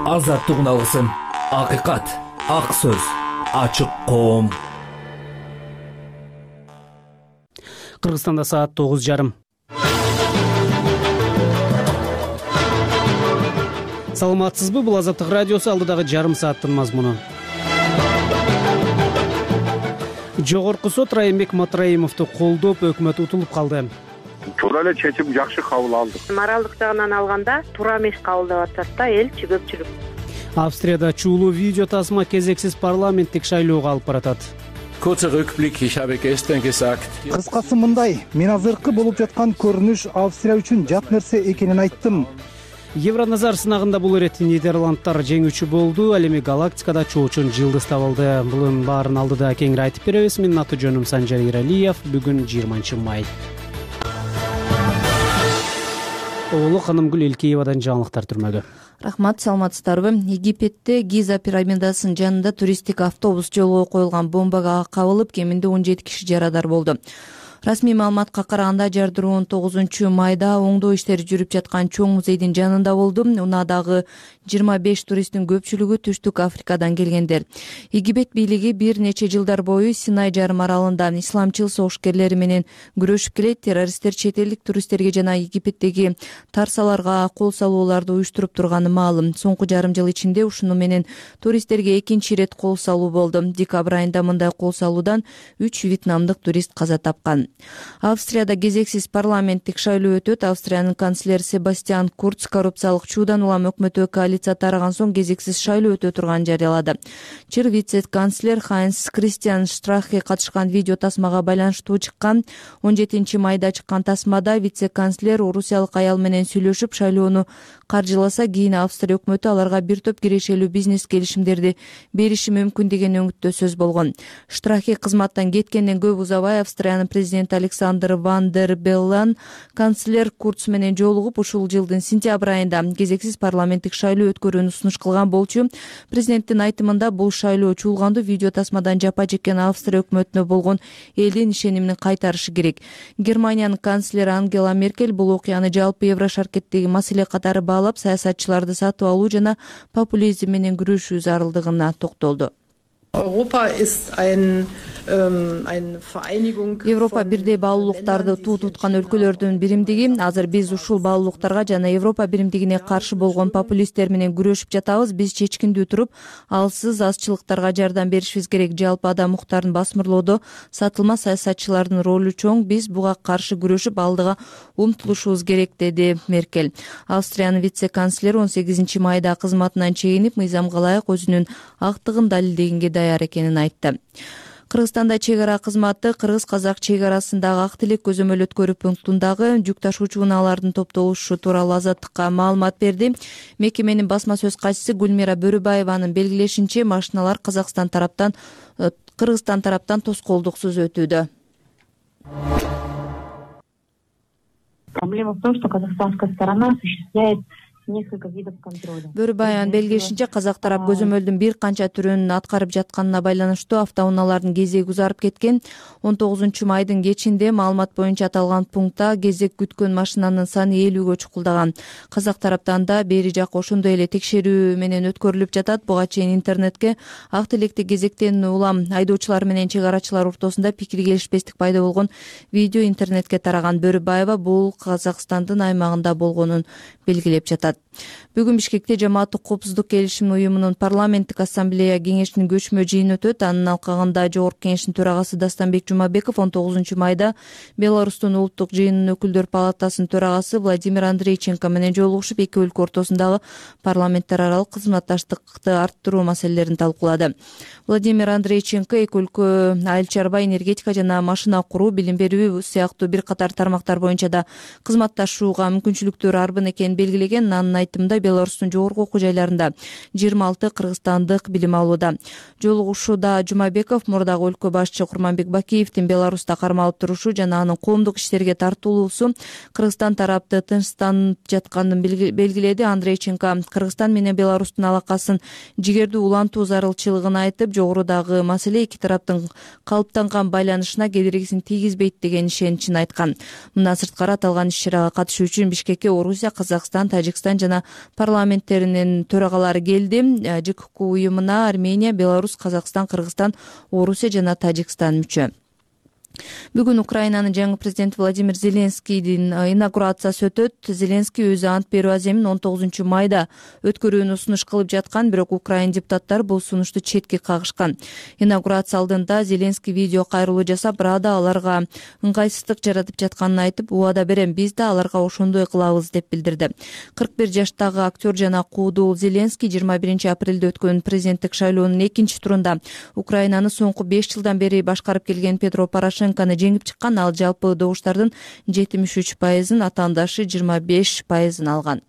азаттык үналгысын, акыйкат, ак сөз, ачык коом. Кыргызстанда саат 9:30. Саламатсызбы? Бул Азаттык радиосу, алдыдагы жарым сааттын мазмуну. Жогорку сот Райымбек Матраимовду колдоп, өкмөт утулуп калды. Туура эле чечим, жакшы кабыл алдык. Моралдык жагынан алганда туура эмес кабыл деп атышат да элчи көпчүлүк. Австрияда чуулуу видео тасма кезексиз парламенттик шайлоого алып баратат. Kurzer Rückblick, ich habe gestern gesagt. Кыскасы мындай, мен азыркы болуп жаткан көрүнүш Австрия үчүн жат нерсе экенин айттым. Евроназар сынагында бул ирет Нидерландтар жеңүүчү болду. Ал эми галактикада чоочун жылдыз табылды. Булун баарын алдыда кеңири айтып беребиз. Менин аты жөнүм Санжар Иралиев. Бүгүн 20-май. Оолу Ханымгүл Элкеевадан жаңылыктар түрмөгү. Рахмат, саламатсыздарбы? Египетте Гиза пирамидасынын жанында туристтик автобус жолго коюлган бомбага кабылып, кеминде 17 киши жарадар болду. Расмий маалыматка караганда, жардыруу 9-майда оңдоо иштери жүрүп жаткан чоң музейдин жанында болду. Унаадагы 25 туристтин көпчүлүгү Түштүк Африкадан келгендер. Египет бийлиги бир нече жылдар бою Синай жарым аралында исламчыл согушкерлери менен күрөшүп келет. Террористтер чет элдик туристтерге жана Египеттеги тарсаларга кол салууларды уюштуруп турганы маалым. Соңку жарым жыл ичинде ушуну менен туристтерге экинчи ирет кол салуу болду. Декабрь айында мындай кол салуудан 3 вьетнамдык турист каза тапкан. Австрияда кезексиз парламенттик шайлоо өтөт. Австриянын канцлери Себастьян Курц коррупциялык чуудан улам өкмөтү коалиция тараган соң кезексиз шайлоо өтө турганын жарыялады. Чыр вице-канцлер Хайнс Кристиан Штрахе катышкан видео тасмага байланыштуу чыккан. 17-майда чыккан тасмада вице-канцлер орусиялык аял менен сүйлөшүп, шайлоону каржыласа, кийин Австрия өкмөтү аларга бир топ кирешелүү бизнес келишимдерди бериши мүмкүн деген өңүттө сөз болгон. Штрахе кызматтан кеткенден көп узабай Австриянын президенти Александр Ван дер Беллан канцлер Курц менен жолугуп, ушул жылдын сентябрь айында кезексиз парламенттик шайлоо өткөрүүнү сунуш кылган болчу. Президенттин айтымында, бул шайлоо чуулганды видео тасмадан жапа жеккен Австрия өкмөтүнө болгон элдин ишенимин кайтарышы керек. Германиянын канцлери Ангела Меркель бул окуяны жалпы Еврошаркеттеги маселе катары баалап, саясатчыларды сатып алуу жана популизм менен күрөшүү зарылдыгына токтолду. Европа бирдей баалуулуктарды туу туткан өлкөлөрдүн биримдиги. Азыр биз ушул баалуулуктарга жана Европа биримдигине каршы болгон популисттер менен күрөшүп жатабыз. Биз чечкиндүү туруп, алсыз азчылыктарга жардам беришибиз керек. Жалпы адам укуктарын басмырлоодо сатылмас саясатчылардын ролу чоң. Биз буга каршы күрөшүп, алдыга умтулушубуз керек, деди Меркель. Австриянын вице-канцлери 18-майда кызматынан чегинип, мыйзамга ылайык өзүнүн актыгын далилдегенге даяр экенин айтты. Кыргызстанда чек ара кызматы кыргыз-казак чек арасындагы ак тилек көзөмөл өткөрүү пунктундагы жүк ташуучу унаалардын топтолушу тууралуу Азаттыкка маалымат берди. Мекеменин басма сөз катчысы Гүлмира Бөрүбаеванын белгилешинче, машиналар Кыргызстан тараптан тоскоолдуксуз өтүүдө. Проблема в том, что казахстанская сторона осуществляет несколько видов контроля. Бөрүбаеванын белгилешинче, казак тарап көзөмөлдүн бир канча түрүн аткарып жатканына байланыштуу автоунаалардын кезеги узарып кеткен. 19-майдын кечинде маалымат боюнча аталган пунктта кезек күткөн машинанын саны 50-гө чукулдаган. Казак тараптан да бери жак ошондой эле текшерүү менен өткөрүлүп жатат. Буга чейин интернетке ак тилекте кезектен улам айдоочулар менен чек арачылар ортосунда пикир келишпестик пайда болгон видео интернетке тараган. Бөрүбаева бул Казакстандын аймагында болгонун белгилеп жатат. Бүгүн Бишкекте Жамааттык коопсуздук келишим уюмунун парламенттик ассамблея кеңешинин көчмө жыйыны өтөт. Анын алкагында Жогорку кеңештин төрагасы Дастанбек Жумабеков 19-майда Беларустун улуттук жыйынынын өкүлдөр палатасынын төрагасы Владимир Андрейченко менен жолугушуп, эки өлкө ортосундагы парламенттер аралык кызматташтыкты арттыруу маселелерин талкуулады. Владимир Андрейченко эки өлкө айыл чарба, энергетика жана машина куруу, билим берүү сыяктуу бир катар тармактар боюнча да кызматташууга мүмкүнчүлүктөр арбын экенин белгилеген. Анын айтымында, Беларустун жогорку окуу жайларында 26 кыргызстандык билим алууда. Жолугушууда Жумабеков мурдагы өлкө башчы Курманбек Бакиевдин Беларуста кармалып турушу жана анын коомдук иштерге тартылуусу Кыргызстан тарапты тынчтанып жатканын белгиледи. Андрейченко Кыргызстан менен Беларустун алакасын жигердүү улантуу зарылчылыгын айтып, жогорудагы маселе эки тараптын калыптанган байланышына кедергисин тийгизбейт деген ишеничин айткан. Мындан сырткары, аталган иш-чарага катышуу үчүн Бишкекке Орусия, Казакстан, Тажикстан Кыргызстан жана парламенттеринин төрагалары келди. ЖКХ уюмуна Армения, Беларусь, Казакстан, Кыргызстан, Орусия жана Тажикстан мүчө. Бүгүн Украинанын жаңы президенти Владимир Зеленскийдин инаугурациясы өтөт. Зеленский өзү ант берүү аземин 19 майда өткөрүүнү сунуш кылып жаткан, бирок Украин депутаттары бул сунушту четке кагышкан. Инаугурация алдында Зеленский видео кайрылуу жасап, Рада аларга ыңгайсыздык жаратып жатканын айтып, убада берем, биз да аларга ошондой кылабыз деп билдирди. 41 жаштагы актер жана куудул Зеленский 21 апрелде өткөн президенттик шайлоонун экинчи турунда Украинаны соңку 5 жылдан бери башкарып келген Петро Порошенкону жеңип чыккан. Ал жалпы добуштардын 73%, атаандашы 25% алган.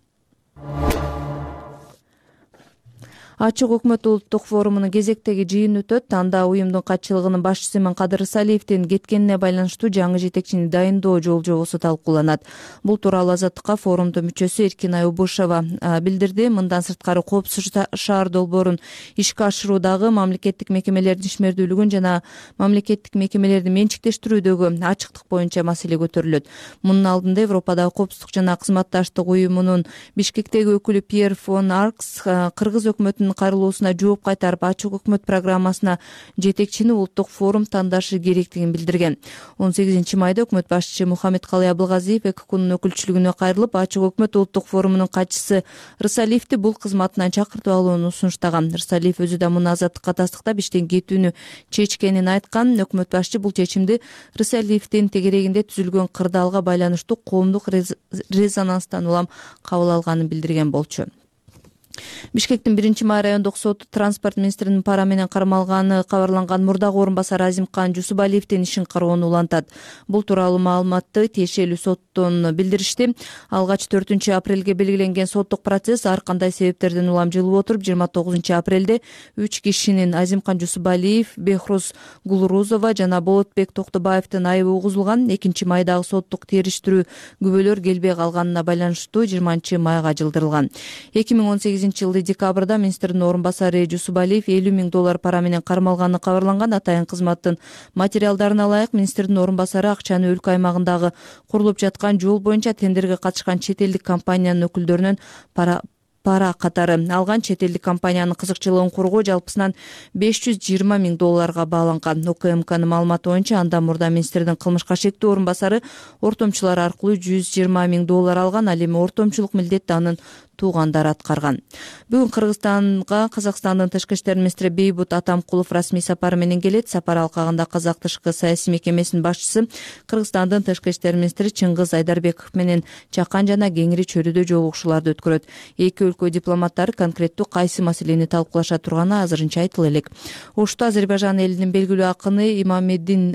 Ачык өкмөт улуттук форумунун кезектеги жыйыны өтөт. Анда уюмдун катчылыгынын башчысы Кадыр Ырсалиевдин кеткенине байланыштуу жаңы жетекчини дайындоо жол-жобосу талкууланат. Бул тууралуу Азаттыкка форумдун мүчөсү Эркинай Убушева билдирди. Мындан сырткары Коопсуз шаар долбоорун ишке ашыруудагы мамлекеттик мекемелердин ишмердүүлүгүн жана мамлекеттик мекемелерди менчиктештирүүдөгү ачыктык боюнча маселе көтөрүлөт. Мунун алдында Европадагы коопсуздук жана кызматташтык уюмунун Бишкектеги өкүлү Пьер фон Аркс кыргыз өкмөтүнүн кайрылуусуна жооп кайтарып, ачык өкмөт программасына жетекчини улуттук форум тандашы керектигин билдирген. 18 майда өкмөт башчысы Мухаммедкалый Абылгазиев ЭККнун өкүлчүлүгүнө кайрылып, ачык өкмөт улуттук форумунун катчысы Рысалиевди бул кызматынан чакыртып алууну сунуштаган. Рысалиев өзү да муну Азаттыкка тастыктап иштен кетүүнү чечкенин айткан. Өкмөт башчы бул чечимди Рысалиевдин тегерегинде түзүлгөн кырдаалга байланыштуу коомдук резонанстан улам кабыл алганын билдирген болчу. Бишкектин 1-май райондук соту транспорт министринин пара менен кармалганы кабарланган мурдагы орун басары Азимкан Жусубалиевдин ишин кароону улантат. Бул тууралуу маалыматты тиешелүү соттон билдиришти. Алгач 4-апрелге белгиленген соттук процесс ар кандай себептерден улам жылып отуруп, 29-апрелде 3 кишинин Азимкан Жусубалиев, Бехруз Гулрузова жана Болотбек Токтобаевдин айыбы угузулган. 2-майдагы соттук териштирүү күбөлөр келбей калганына байланыштуу 20-майга жылдырылган. 2018 жылы декабрда министрдин орун басары Жусубалиев $50,000 пара менен кармалганы кабарланган. Атайын кызматтын материалдарына ылайык министрдин орун басары акчаны өлкө аймагындагы курулуп жаткан жол боюнча тендерге катышкан чет элдик компаниянын өкүлдөрүнөн пара катары алган. Чет элдик компаниянын кызыкчылыгын коргоо жалпысынан $520,000 бааланган. УКМКнын маалыматы боюнча анда мурда министрдин кылмышка шектүү орун басары ортомчулар аркылуу $120,000 алган. Ал эми ортомчулук милдетти анын туугандары аткарган. Бүгүн Кыргызстанга Казакстандын тышкы иштер министри Бейбут Атамкулов расмий сапары менен келет. Сапар алкагында Казак тышкы саясий мекемесинин башчысы Кыргызстандын тышкы иштер министри Чыңгыз Айдарбеков менен чакан жана кеңири чөйрөдө жолугушууларды өткөрөт. Эки өлкө дипломаттары конкреттүү кайсы маселени талкуулаша турганы азырынча айтыла элек. Ошто Азербайжан элинин белгилүү акыны Имамеддин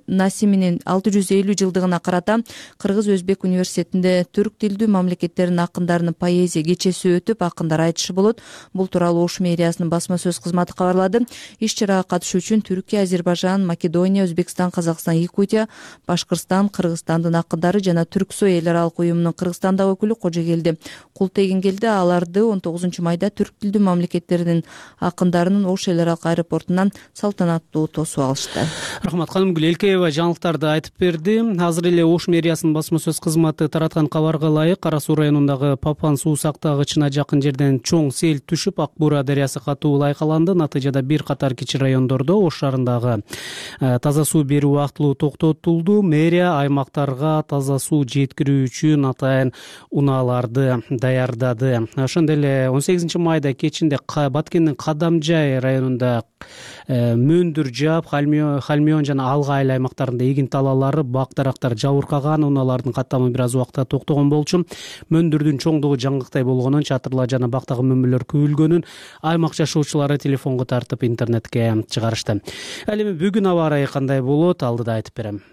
Насиминин 650 жылдыгына карата Кыргыз Өзбек университетинде түрк тилдүү мамлекеттердин акындарынын поэзия кечеси өтүп, акындар айтышы болот. Бул тууралуу Ош мэриясынын басма сөз кызматы кабарлады. Иш-чарага катышуу үчүн Түркия, Азербайжан, Македония, Өзбекстан, Казакстан, Якутия, Башкырстан, Кыргызстандын акындары жана Түрксой эл аралык уюмунун Кыргызстандагы өкүлү Кожогелди Култегин келди. Аларды 19 майда түрк тилдүү мамлекеттердин акындарынын Ош эл аралык аэропортунан салтанаттуу тосуп алышты. Рахмат. Канымгүл Элкеева жаңылыктарды айтып берди. Азыр эле Ош мэриясынын басма сөз кызматы тараткан кабарга ылайык Кара Суу районундагы Папан суу сактагычына жакын жерден чоң сел түшүп, Ак Буура дарыясы катуу лайкаланды. Натыйжада бир катар кичи райондордо Ош шаарындагы таза суу берүү убактылуу токтотулду. Мэрия аймактарга таза суу жеткирүү үчүн атайын унааларды даярдады. Ошондой эле 18 майда кечинде Баткендин Кадамжай районунда Мөндүр, Жап, Хальмион жана Алга айыл аймактарында эгин талаалары, бак дарактар жабыркаган, унаалардын каттамы бир аз убакта токтогон болчу. Мөндүрдүн чоңдугу жаңгыктай болгонун, чатырлар жана бактагы мөмөлөр күбүлгөнүн аймак жашоочулары телефонго тартып интернетке чыгарышты. Ал эми бүгүн аба ырайы кандай болот, алдыда айтып берем.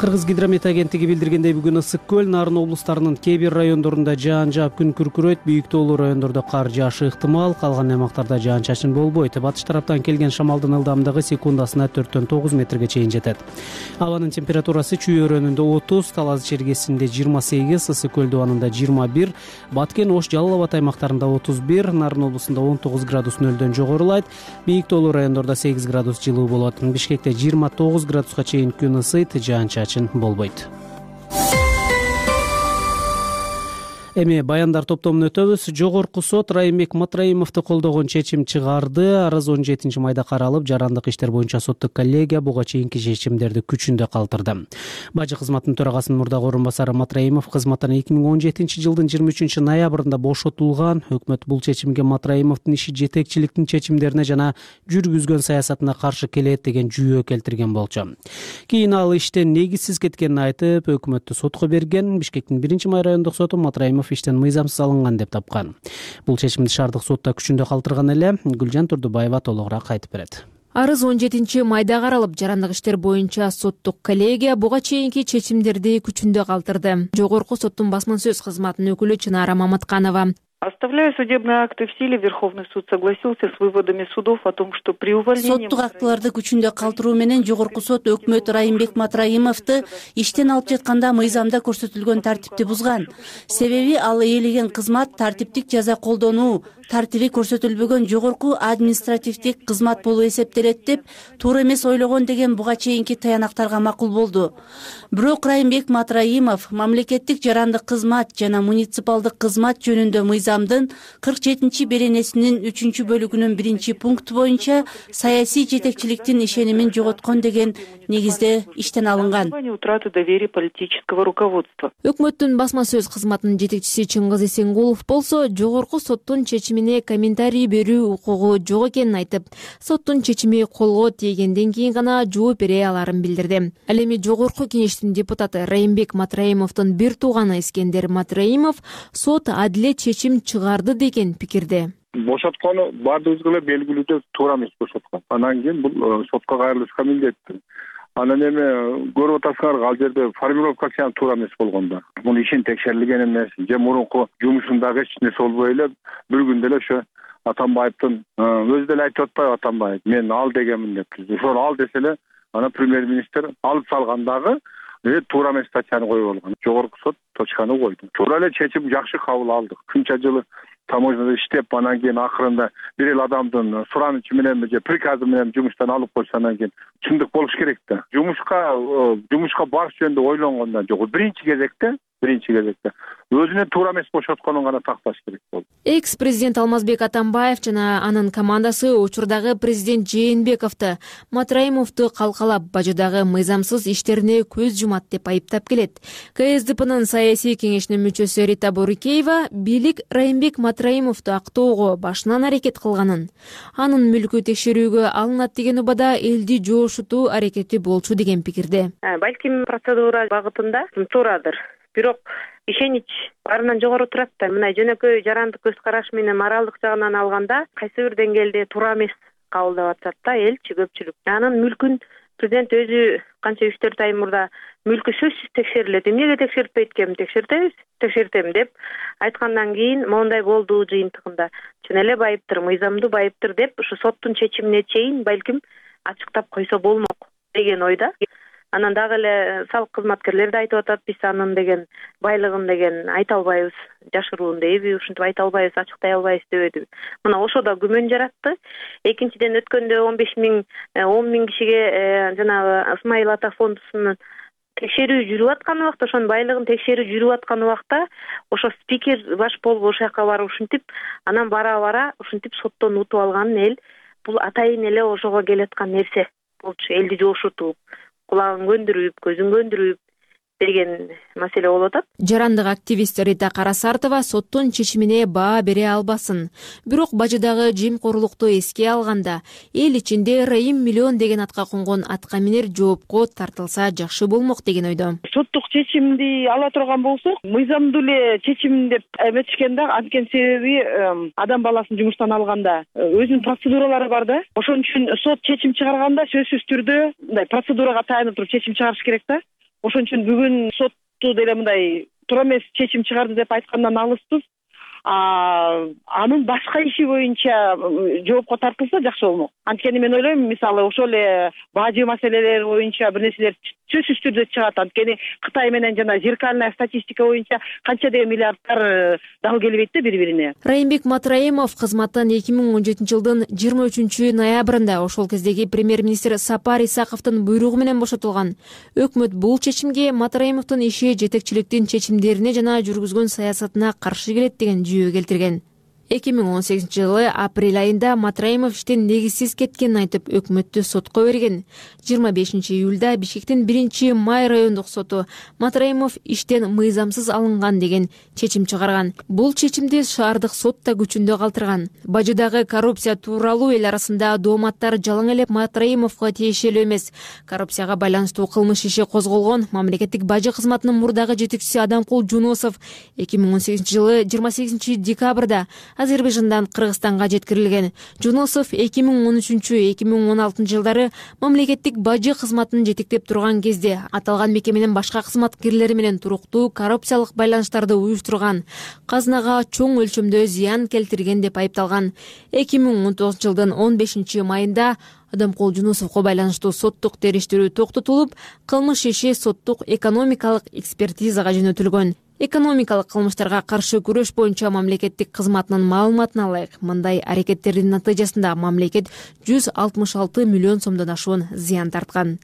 Кыргыз гидромет агенттиги билдиргендей, бүгүн Ысык көл, Нарын облустарынын кээ бир райондорунда жаан жаап күн күркүрөйт, бийик тоолуу райондордо кар жаашы ыктымал, калган аймактарда жаан-чачын болбойт. Батыш тараптан келген шамалдын ылдамдыгы секундасына 4-9 метрге чейин жетет. Абанын температурасы Чүй өрөөнүндө 30, Талас чергесинде 28, Ысык көл дубанында 21, Баткен, Ош, Жалал Абад аймактарында 31, Нарын облусунда 19 градус нөлдөн жогорулайт, бийик тоолуу райондордо 8 градус жылуу болот. Бишкекте 29 градуска чейин күн ысыйт, жаан-чачын болбойт. Эми баяндар топтомуна өтөбүз. Жогорку сот Райымбек Матраимовду колдогон чечим чыгарды. Арыз 17-майда каралып, жарандык иштер боюнча соттук коллегия буга чейинки чечимдерди күчүндө калтырды. Бажы кызматынын төрагасынын мурдагы орун басары Матраимов кызматтан 2017-жылдын 23-ноябрында бошотулган. Өкмөт бул чечимге Матраимовдун иши жетекчиликтин чечимдерине жана жүргүзгөн саясатына каршы келет деген жүйө келтирген болчу. Кийин ал иштен негизсиз кеткенин айтып, өкмөттү сотко берген. Бишкектин 1-май райондук соту Матраимов иштен мыйзамсыз алынган деп тапкан. Бул чечимди шаардык сотта күчүндө калтырган эле. Гүлжан Турдубаева толугураак айтып берет. Арыз 17-майда каралып, жарандык иштер боюнча соттук коллегия буга чейинки чечимдерди күчүндө калтырды. Жогорку соттун басма сөз кызматынын өкүлү Чынара Маматканова: Оставляя судебные акты в силе, Верховный суд согласился с выводами судов о том, что при увольнении... Соттук актыларды күчүндө калтыруу менен Жогорку сот өкмөт Райымбек Матраимовду иштен алып жатканда мыйзамда көрсөтүлгөн тартипти бузган. Себеби ал ээлеген кызмат тартиптик жаза колдонуу тартиби көрсөтүлбөгөн жогорку административдик кызмат болуп эсептелет деп туура эмес ойлогон деген буга чейинки таянактарга макул болду. Бирок Райымбек Матраимов мамлекеттик жарандык кызмат жана муниципалдык кызмат жөнүндө мыйзамдын 47-беренесинин 3-бөлүгүнүн 1-пункту боюнча саясий жетекчиликтин ишенимин жоготкон деген негизде иштен алынган. Утраты доверия политического руководства. Өкмөттүн басма сөз кызматынын жетекчиси Чыңгыз Эсенгулов болсо, жогорку соттун чечимине комментарий берүү укугу жок экенин айтып, соттун чечими колго тийгенден кийин гана жооп бере аларын билдирди. Ал эми жогорку кеңештин депутаты Райымбек Матраимовдун бир тууганы Искендер Матраимов сот адилет чечим чыгарды деген пикирде. Бошоткону баардыгыбызга эле белгилүү, туура эмес бошоткон. Анан кийин бул сотко кайрылышка милдеттүү. Анан эми көрүп атасыңар, ал жерде формулировкасы ham туура эмес болгон да. Мунун ишин текшерилген эмес, же мурунку жумушундагы эч нерсе болбой эле бир күндө эле ошо Атамбаевдин өзү деле айтып атпайбы, Атамбаев мен ал дегенмин деп. Ошол ал десе эле анан премьер-министр алып салгандагы туура эмес статьяны коюп алган. Жогорку сот точканы койду. Туура эле чечим жакшы кабыл алдык. Күнчө жылы таможняда иштеп, анан кийин акырында бир эл адамдын суранычы менен же приказы менен жумуштан алып койсо, анан кийин чындык болуш керек да. Жумушка барыш жөнүндө ойлонгон да жок. Биринчи кезекте өзүнө туура эмес бошотконун гана такташ керек болду. Экс-президент Алмазбек Атамбаев жана анын командасы учурдагы президент Жээнбековду Матраимовду калкалап, бажыдагы мыйзамсыз иштерине көз жумат деп айыптап келет. КСДПнын саясий кеңешинин мүчөсү Рита Борикеева бийлик Райымбек Матраимовду актоого башынан аракет кылганын, анын мүлкү текшерүүгө алынат деген убада элди жоошутуу аракети болчу деген пикирде. Балким процедура багытында туурадыр. Бирок ишенич баарынан жогору турат да. Мына жөнөкөй жарандык көз караш менен моралдык жагынан алганда кайсы бир деңгээлде туура эмес кабылдап атышат да элчи көпчүлүк. Анын мүлкүн президент өзү канча 3-4 ай мурда мүлкү сөзсүз текшерилет. Эмнеге текшертпейт экенин текшертем деп айткандан кийин моундай болду жыйынтыгында. Чын эле байыптыр, мыйзамдуу байыптыр деп ушу соттун чечимине чейин балким ачыктап койсо болмок деген ойда. Анан дагы эле салык кызматкерлер да айтып атат, биз анын деген байлыгын деген айта албайбыз, жашыруун дейби, ушинтип айта албайбыз, ачыктай албайбыз дебеди. Мына ошо да күмөн жаратты. Экинчиден өткөндө 10 миң кишиге жанагы Ысмайыл Ата фондусунун текшерүү жүрүп аткан убакта, ошонун байлыгын текшерүү жүрүп аткан убакта ошо спикер баш болуп ошол жака барып ушинтип, анан бара ушинтип соттон утуп алганын эл бул атайын эле ошого келаткан нерсе болчу. Элди жоошутуп, кулагын көндүрүп, көзүн көндүрүп деген маселе болуп атат. Жарандык активист Рита Карасартова соттун чечимине баа бере албасын. Бирок бажыдагы жемкорлукту эске алганда, эл ичинде Райым миллион деген атка конгон атка минер жоопко тартылса жакшы болмок деген ойдо. Соттук чечимди ала турган болсок, мыйзамдуу эле чечим деп эметишкен да, анткени себеби адам баласын жумуштан алганда өзүнүн процедуралары бар да. Ошон үчүн сот чечим чыгарганда сөзсүз түрдө мындай процедурага таянып туруп чечим чыгарыш керек да. Ошон үчүн бүгүн сотту деле мындай туура эмес чечим чыгарды деп айткандан алыспыз. анын башка иши боюнча жоопко тартылса жакшы болмок. Анткени мен ойлойм, мисалы ошол эле бажы маселелери боюнча бир нерселер сөзсүз түрдө чыгат. Анткени Кытай менен жана зеркальная статистика боюнча канча деген миллиардтар дал келбейт да бири-бирине. Райымбек Матраимов кызматтан 2017 жылдын 23 ноябрында ошол кездеги премьер-министр Сапар Исаковдун буйругу менен бошотулган. Өкмөт бул чечимге Матраимовдун иши жетекчиликтин чечимдерине жана жүргүзгөн саясатына каршы келет деген жүйө келтирген. 2018 жылы апрель айында Матраимов иштен негизсиз кеткенин айтып, өкмөттү сотко берген. 25 июлда Бишкектин 1-Май райондук соту Матраимов иштен мыйзамсыз алынган деген чечим чыгарган. Бул чечимди шаардык сот да күчүндө калтырган. Бажыдагы коррупция тууралуу эл арасында дооматтар жалаң элеп Матраимовго тиешелүү эмес. Коррупцияга байланыштуу кылмыш иши козголгон мамлекеттик бажы кызматынын мурдагы жетекчиси Адамкул Жунусов 2018 жылы 28 декабрда Азербайжандан Кыргызстанга жеткирилген. Жунусов 2013-2016 жылдары мамлекеттик бажы кызматын жетектеп турган кезде аталган мекеменин башка кызматкерлери менен туруктуу коррупциялык байланыштарды уюштурган, казынага чоң өлчөмдө зыян келтирген деп айыпталган. 2019 жылдын 15 майында Адамкул Жунусовго байланыштуу соттук териштирүү токтотулуп, кылмыш иши соттук экономикалык экспертизага жөнөтүлгөн. Экономикалык кылмыштарга каршы күрөш боюнча мамлекеттик кызматынын маалыматына ылайык, мындай аракеттердин натыйжасында мамлекет 166 миллион сомдон ашуун зыян тарткан.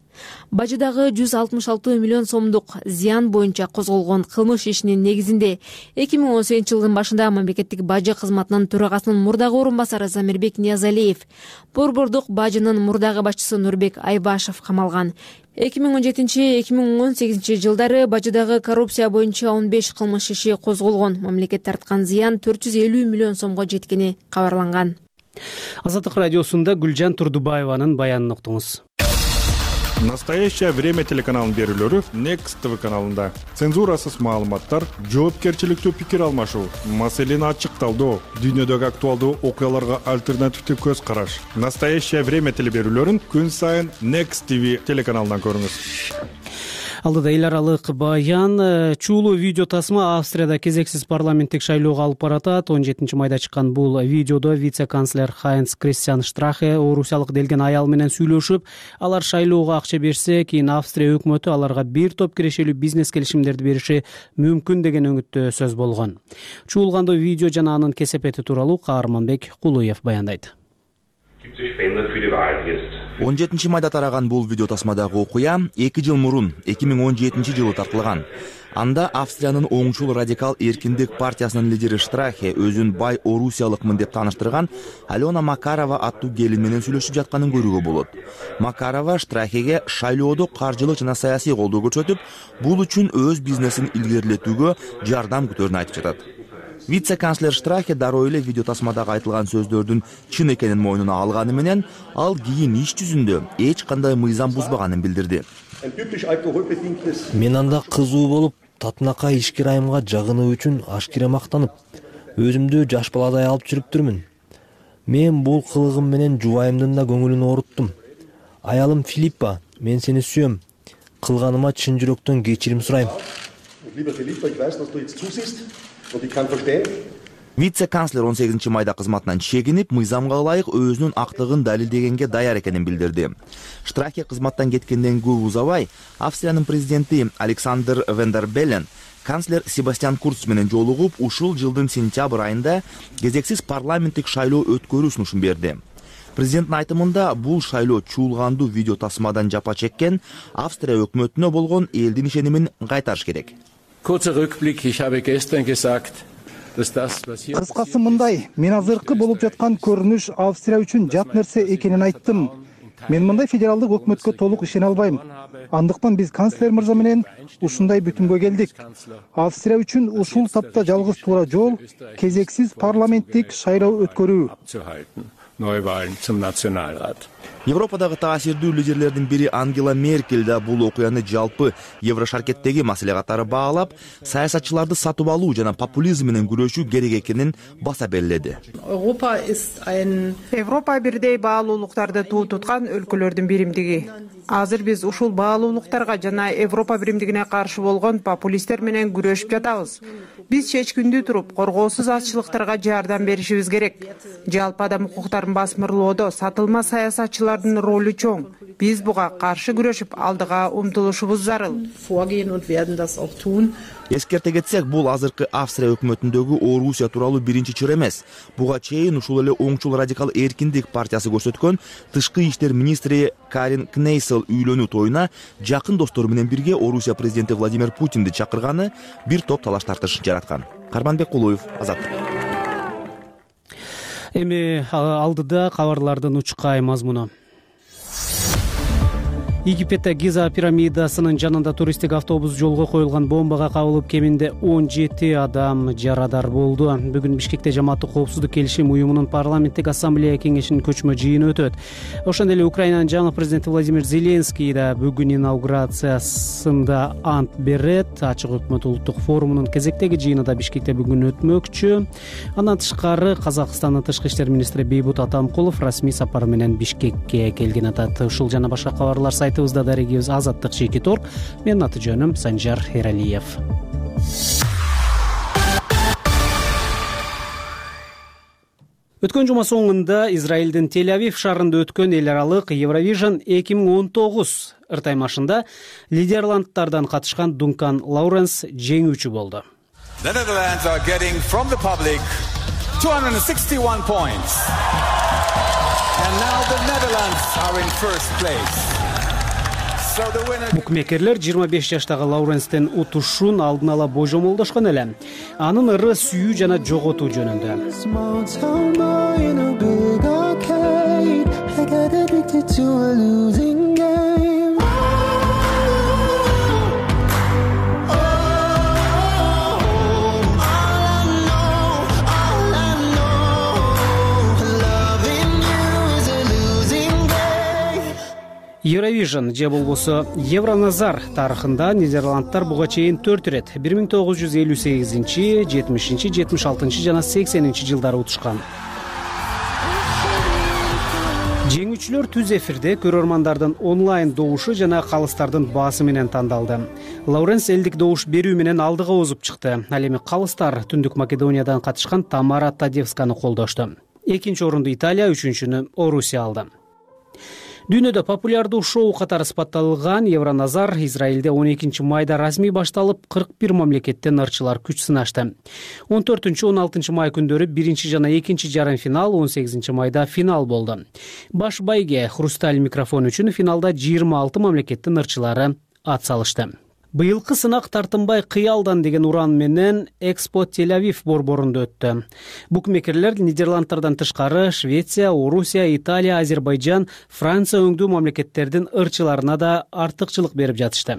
Бажыдагы 166 миллион сомдук зыян боюнча козголгон кылмыш ишинин негизинде 2018 жылдын башында мамлекеттик бажы кызматынын төрагасынын мурдагы орун басары Замирбек Ниязалиев, борбордук бажынын мурдагы башчысы Нурбек Айбашев камалган. 2017-2018 жылдары бажыдагы коррупция боюнча 15 кылмыш иши козголгон. Мамлекет тарткан зыян 450 миллион сомго жеткени кабарланган. Азаттык радиосунда Гүлжан Турдубаеванын баянын уктуңуз. Настоящее время телеканалынын берүүлөрү Next TV каналында. Цензурасыз маалыматтар, жоопкерчиликтүү пикир алмашуу, маселени ачыкталдоо, дүйнөдөгү актуалдуу окуяларга альтернативдүү көз караш. Настоящее время телеберүүлөрүн күн сайын Next TV телеканалынан көрүңүз. Алдыда эл аралык баян. Чуулуу видео тасма Австрияда кезексиз парламенттик шайлоого алып баратат. 17 майда чыккан бул видеодо вице-канцлер Хайнц Кристиан Штрахе орусиялык делген аял менен сүйлөшүп, алар шайлоого акча берсе, кийин Австрия өкмөтү аларга бир топ кирешелүү бизнес келишимдерди бериши мүмкүн деген өңүттө сөз болгон. Чуулгандуу видео жана анын кесепети тууралуу Каарманбек Кулуев баяндайт. 17 майда тараган бул видео тасмадагы окуя 2 жыл мурун 2017 жылы тартылган. Анда Австриянын оңчул радикал эркиндик партиясынын лидери Штрахе өзүн бай орусиялыкмын деп тааныштырган Алена Макарова аттуу келин менен сүйлөшүп жатканын көрүүгө болот. Макарова Штрахеге шайлоодо каржылык жана саясий колдоо көрсөтүп, бул үчүн өз бизнесин илгерилетүүгө жардам күтөрүн айтып жатат. Вице-канцлер Штрахе дароо эле видео тасмадагы айтылган сөздөрдүн чын экенин мойнуна алганы менен, ал кийин иш жүзүндө эч кандай мыйзам бузбаганын билдирди. Мен анда кызуу болуп, татынакай ишкер айымга жагынуу үчүн ашкере мактанып, өзүмдү жаш баладай алып жүрүптүрмүн. Мен бул кылыгым менен жубайымдын да көңүлүн ооруттум. Аялым Филиппа, мен сени сүйөм. Кылганыма чын жүрөктөн кечирим сурайм. Вице-канцлер 18 майда кызматынан чегинип, мыйзамга ылайык өзүнүн актыгын далилдегенге даяр экенин билдирди. Штрахе кызматтан кеткенден көп узабай, Австриянын президенти Александр Ван дер Беллен канцлер Себастьян Курц менен жолугуп, ушул жылдын сентябрь айында кезексиз парламенттик шайлоо өткөрүү сунушун берди. Президенттин айтымында бул шайлоо чуулгандуу видео тасмадан жапа чеккен Австрия өкмөтүнө болгон элдин ишенимин кайтарыш керек. Kurzer Rückblick, ich habe gestern gesagt, dass das, was hier Кыскасы мындай, мен азыркы болуп жаткан көрүнүш Австрия үчүн жат нерсе экенин айттым. Мен мындай федералдык өкмөткө толук ишене албайм. Андыктан биз канцлер мырза менен ушундай бүтүмгө келдик. Австрия үчүн ушул тапта жалгыз туура жол кезексиз парламенттик шайлоо өткөрүү. Европадагы таасирдүү лидерлердин бири Ангела Меркель да бул окуяны жалпы Еврошаркеттеги маселе катары баалап, саясатчыларды сатып алуу жана популизм менен күрөшүү керек экенин баса белгиледи. Европа бирдей баалуулуктарды туу туткан өлкөлөрдүн биримдиги. Азыр биз ушул баалуулуктарга жана Европа биримдигине каршы болгон популисттер менен күрөшүп жатабыз. Биз чечкиндүү туруп, коргоосуз азчылыктарга жардам беришибиз керек. Жалпы адам укуктарын басмырлоодо сатылмас саясатчылардын ролу чоң. Биз буга каршы күрөшүп, алдыга умтулушубуз зарыл. Эскерте кетсек, бул азыркы Австрия өкмөтүндөгү Орусия тууралуу биринчи чыр эмес. Буга чейин ушул эле оңчул радикал эркиндик партиясы көрсөткөн тышкы иштер министри Карин Кнейсел үйлөнүү тоюна жакын достору менен бирге Орусия президенти Владимир Путинди чакырганы бир топ талаш тартыш жараткан. Карманбек Кулуев, Азаттык. Эми алдыда кабарлардын учкай мазмуну. Египетте Гиза пирамидасынын жанында туристтик автобус жолго коюлган бомбага кабылып, кеминде 17 адам жарадар болду. Бүгүн Бишкекте жамааттык коопсуздук келишим уюмунун парламенттик ассамблея кеңешинин көчмө жыйыны өтөт. Ошондой эле Украинанын жаңы президенти Владимир Зеленский да бүгүн инаугурациясында ант берет. Ачык өкмөт улуттук форумунун кезектеги жыйыны да Бишкекте бүгүн өтмөкчү. Андан тышкары Казакстандын тышкы иштер министри Бейбут Атамкулов расмий сапар менен Бишкекке келген атат. Ушул жана башка кабарлар сайтыбызда дарегибиз Азаттык жеке торп. Менин аты жөнүм Санжар Эралиев. Өткөн жума соңунда Израилдин Тель-Авив шаарында өткөн эл аралык Евровижн 2019 ыртаймашында Нидерландтардан катышкан Дункан Лауренс жеңүүчү болду. The Netherlands are getting from the public 261 points. And now the Netherlands are in first place. Букмекерлер 25 жаштагы Лауренстен утушун алдын ала божомолдошкон эле. Анын ыры сүйүү жана жоготуу жөнүндө. Евровижн же болбосо Евроназар тарыхында Нидерландтар буга чейин 4 ирет 1958, 70, 76 жана 80 жылдары утушкан. Жеңүүчүлөр түз эфирде көрөрмандардын онлайн добушу жана калыстардын баасы менен тандалды. Лауренс элдик добуш берүү менен алдыга озуп чыкты. Ал эми калыстар Түндүк Македониядан катышкан Тамара Тадевсканы колдошту. Экинчи орунду Италия, үчүнчүнү Орусия алды. Дүйнөдө популярдуу шоу катары сыпатталган Евроназар Израилде 12 майда расмий башталып, 41 мамлекеттен ырчылар күч сынашты. 14-16 май күндөрү биринчи жана экинчи жарым финал, 18 майда финал болду. Баш байге хрусталь микрофон үчүн финалда 26 мамлекеттин ырчылары ат салышты. Быйылкы сынак тартынбай кыялдан деген уран менен Экспо Тель-Авив борборунда өттү. Букмекерлер Нидерландтардан тышкары Швеция, Орусия, Италия, Азербайджан, Франция өңдүү мамлекеттердин ырчыларына да артыкчылык берип жатышты.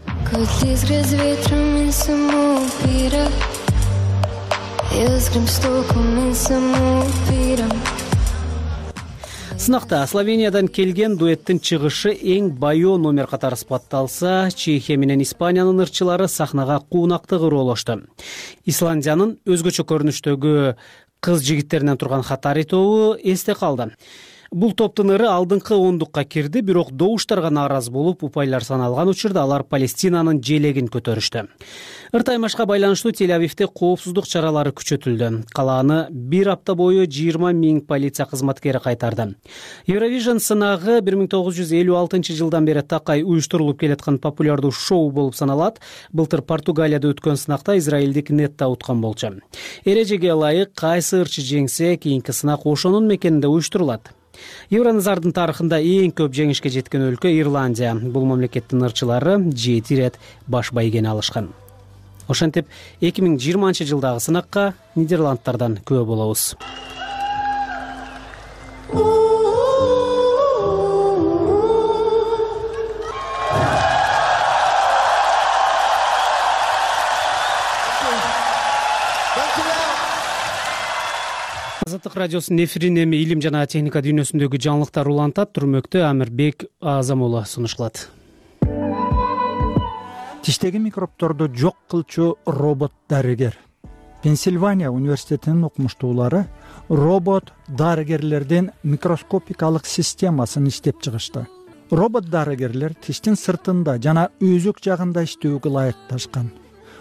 Сынакта Словениядан келген дуэттин чыгышы эң байоо номер катары сыпатталса, Чехия менен Испаниянын ырчылары сахнага куунактыгы уролошту. Исландиянын өзгөчө көрүнүштөгү кыз жигиттеринен турган Хатари тобу эсте калды. Бул топтун ыры алдыңкы ондукка кирди, бирок добуштарга нааразы болуп, упайлар саналган учурда алар Палестинанын желегин көтөрүштү. Ыртаймашка байланыштуу Тель-Авивде коопсуздук чаралары күчөтүлдү. Калааны бир апта бою 20 000 полиция кызматкери кайтарды. Евровижн сынагы 1956 жылдан бери такай уюштурулуп келаткан популярдуу шоу болуп саналат. Былтыр Португалияда өткөн сынакта израилдик Нетта уткан болчу. Эрежеге ылайык кайсы ырчы жеңсе, кийинки сынак ошонун мекенинде уюштурулат. Евроназардын тарыхында эң көп жеңишке жеткен өлкө Ирландия. Бул мамлекеттин ырчылары 7 ирет баш байгени алышкан. Ошентип 2020 жылдагы сынакка Нидерландтардан күбө болобуз. Азаттык радиосунун эфирин эми илим жана техника дүйнөсүндөгү жаңылыктар улантат. Турмөктө Амирбек Азамолу сунушталат. Тиштеги микробторду жок кылчу робот дарыгер. Пенсильвания университетинин окумуштуулары робот дарыгерлердин микроскопикалык системасын иштеп чыгышты. Робот дарыгерлер тиштин сыртында жана үзүк жагында иштөөгө ылайыкташкан.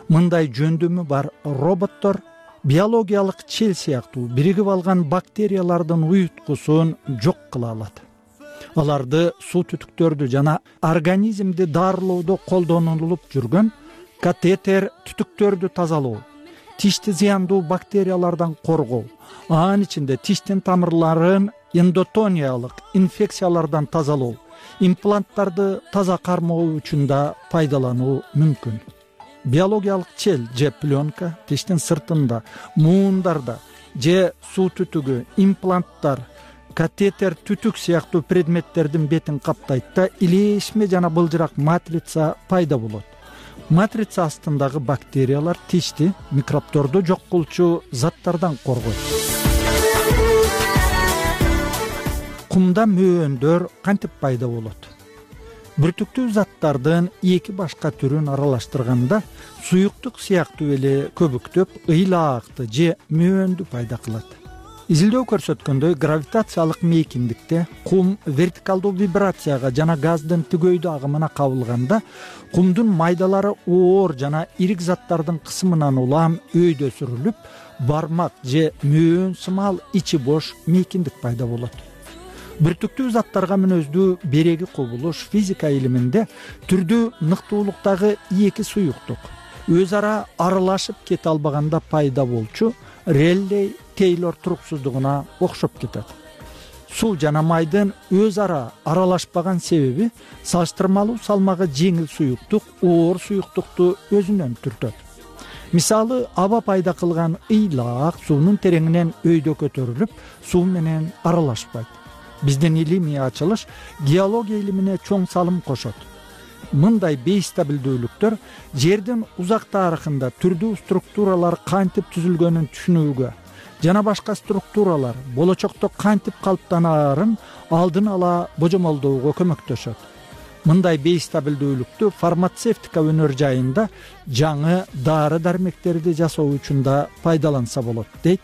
мындай жөндөмү бар роботтор биологиялык чел сыяктуу биригип алган бактериялардын уюткусун жок кыла алат. Аларды суу түтүктөрдү жана организмди дарылоодо колдонулуп жүргөн катетер түтүктөрдү тазалоо, тишти зыяндуу бактериялардан коргоо, анын ичинде тиштин тамырларын эндотониялык инфекциялардан тазалоо, импланттарды таза кармоо үчүн да пайдалануу мүмкүн. Биологиялык чел же пленка тиштин сыртында, муундарда же суу түтүгү, импланттар, катетер түтүк сыяктуу предметтердин бетин каптайт да илешме жана былжырак матрица пайда болот. Матрица астындагы бактериялар тишти микробторду жок кылчу заттардан коргойт. Кумда мөөндөр кантип пайда болот? Бүртүктүү заттардын эки башка түрүн аралаштырганда суюктук сыяктуу эле көбүктөп ыйлаакты же мөөндү пайда кылат. Изилдөө көрсөткөндөй, гравитациялык мейкиндикте кум вертикалдуу вибрацияга жана газдын түгөйдүү агымына кабылганда кумдун майдалары оор жана ирик заттардын кысымынан улам өйдө сүрүлүп, бармак же мөөн сымал ичи бош мейкиндик пайда болот. Бүртүктүү заттарга мүнөздүү береги кубулуш физика илиминде түрдүү ныктуулуктагы эки суюктук өз ара аралашып кете албаганда пайда болчу Реллей-Тейлор туруксуздугуна окшоп кетет. Суу жана майдын өз ара аралашпаган себеби салыштырмалуу салмагы жеңил суюктук оор суюктукту өзүнөн түртөт. Мисалы, аба пайда кылган ыйлаак суунун тереңинен өйдө көтөрүлүп, суу менен аралашпайт. Биздин илимий ачылыш геология илимине чоң салым кошот. Мындай бейстабилдүүлүктөр жердин узак тарыхында түрдүү структуралар кантип түзүлгөнүн түшүнүүгө жана башка структуралар болочокто кантип калыптанаарын алдын ала божомолдоого көмөктөшөт. Мындай бейстабилдүүлүктү фармацевтика өнөр жайында жаңы дары-дармектерди жасоо үчүн да пайдаланса болот, дейт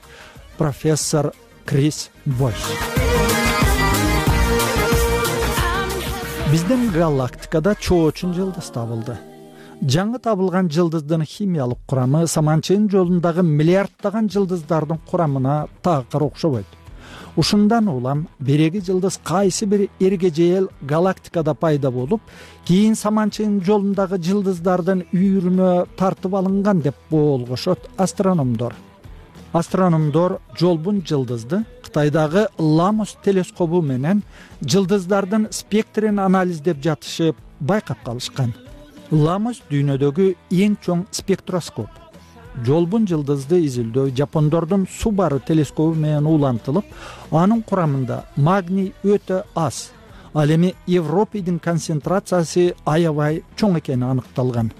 профессор Крис Бойш. Биздин галактикада чоочун жылдыз табылды. Жаңы табылган жылдыздын химиялык курамы саманчынын жолундагы миллиарддаган жылдыздардын курамына такыр окшобойт. Ушундан улам береги жылдыз кайсы бир эргежейил галактикада пайда болуп, кийин саманчынын жолундагы жылдыздардын үйүрүнө тартып алынган деп болгошот астрономдор. Астрономдор жолбун жылдызды Кытайдагы Ламос телескопу менен жылдыздардын спектрин анализдеп жатышып байкап калышкан. Ламос дүйнөдөгү эң чоң спектроскоп. Жолбун жылдызды изилдөө жапондордун Субару телескопу менен улантылып, анын курамында магний өтө аз. Ал эми Европейдин концентрациясы аябай чоң экени аныкталган.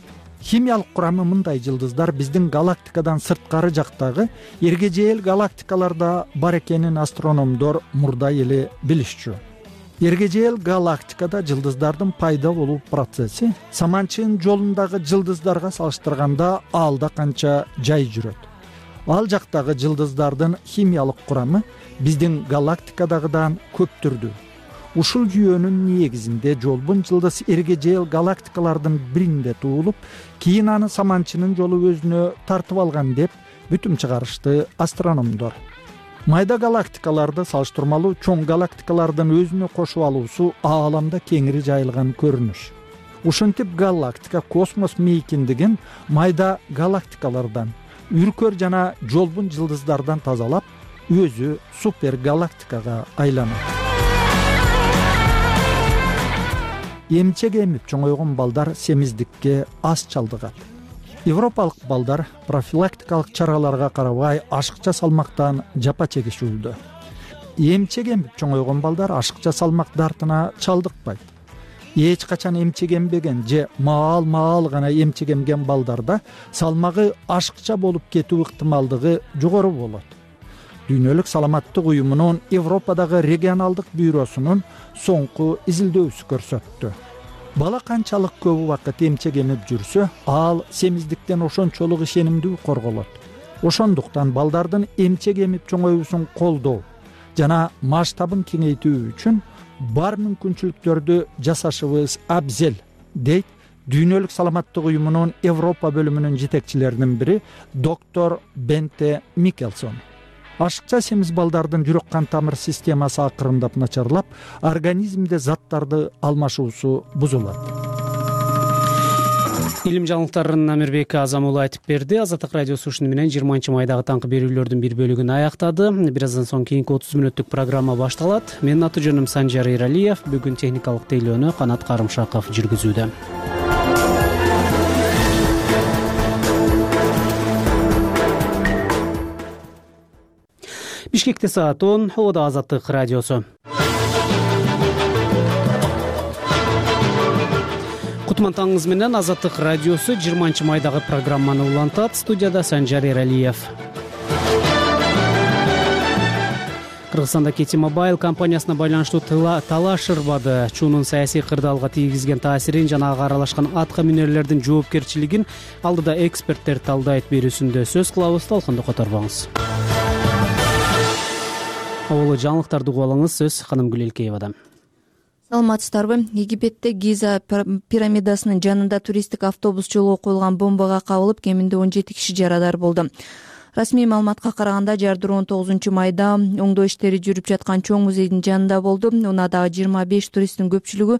Химиялык курамы мындай жылдыздар биздин галактикадан сырткары жактагы эргежейил галактикаларда бар экенин астрономдор мурда эле билишчү. Эргежейил галактикада жылдыздардын пайда болуу процесси саманчынын жолундагы жылдыздарга салыштырганда алда канча жай жүрөт. Ал жактагы жылдыздардын химиялык курамы биздин галактикадагыдан көп түрдүү. Ушул жүйөнүн негизинде жолбун жылдыз эргежейил галактикалардын биринде туулуп, кийин аны саманчынын жолу өзүнө тартып алган деп бүтүм чыгарышты астрономдор. Майда галактикаларды салыштырмалуу чоң галактикалардын өзүнө кошуп алуусу ааламда кеңири жайылган көрүнүш. Ушинтип галактика космос мейкиндигин майда галактикалардан, үркөр жана жолбун жылдыздардан тазалап, өзү супер галактикага айланат. Эмчек эмип чоңойгон балдар семиздикке аз чалдыгат. Европалык балдар профилактикалык чараларга карабай ашыкча салмактан жапа чегишүүдө. Эмчек эмип чоңойгон балдар ашыкча салмак дартына чалдыкпайт. Эч качан эмчек эмбеген же маал гана эмчек эмген балдарда салмагы ашыкча болуп кетүү ыктымалдыгы жогору болот. Дүйнөлүк саламаттык уюмунун Европадагы регионалдык бюросунун соңку изилдөөсү көрсөттү. Бала канчалык көп убакыт эмчек эмип жүрсө, ал семиздиктен ошончолук ишенимдүү корголот. Ошондуктан балдардын эмчек эмип чоңоюусун колдоо жана масштабын кеңейтүү үчүн бар мүмкүнчүлүктөрдү жасашыбыз абзел, дейт Дүйнөлүк саламаттык уюмунун Европа бөлүмүнүн жетекчилеринин бири доктор Бенте Микелсон. Ашыкча семиз балдардын жүрөк кан тамыр системасы акырындап начарлап, организмде заттарды алмашуусу бузулат. Илим жаңылыктарын Амирбек Азам уулу айтып берди. Азаттык радиосу ушуну менен 20-майдагы таңкы берүүлөрдүн бир бөлүгүн аяктады. Бир аздан соң кийинки 30 мүнөттүк программа башталат. Менин аты жөнүм Санжар Иралиев. Бүгүн техникалык тейлөөнү Канат Карымшаков жүргүзүүдө. Бишкекте саат 10, Ода Азаттык радиосу. Кутман таңыңыз менен Азаттык радиосу 20-майдагы программаны улантат. Студияда Санжар Иралиев. Кыргызстанда Кити Мобайл компаниясына байланыштуу талаш ырбады. Чуунун саясий кырдаалга тийгизген таасирин жана ага аралашкан атка минерлердин жоопкерчилигин алдыда эксперттер талдайт берүүсүндө сөз кылабыз. Талкынды которбоңуз. Олуу жаңылыктарды угуп алыңыз. Сөз Ханымгүл Элкеевадан. Саламатсыздарбы? Египетте Гиза пирамидасынын жанында туристтик автобус жолго коюлган бомбага кабылып, кеминде 17 киши жарадар болду. Расмий маалыматка караганда, жардыруу 19-майда оңдоо иштери жүрүп жаткан чоң музейдин жанында болду. Унадагы 25 туристтин көпчүлүгү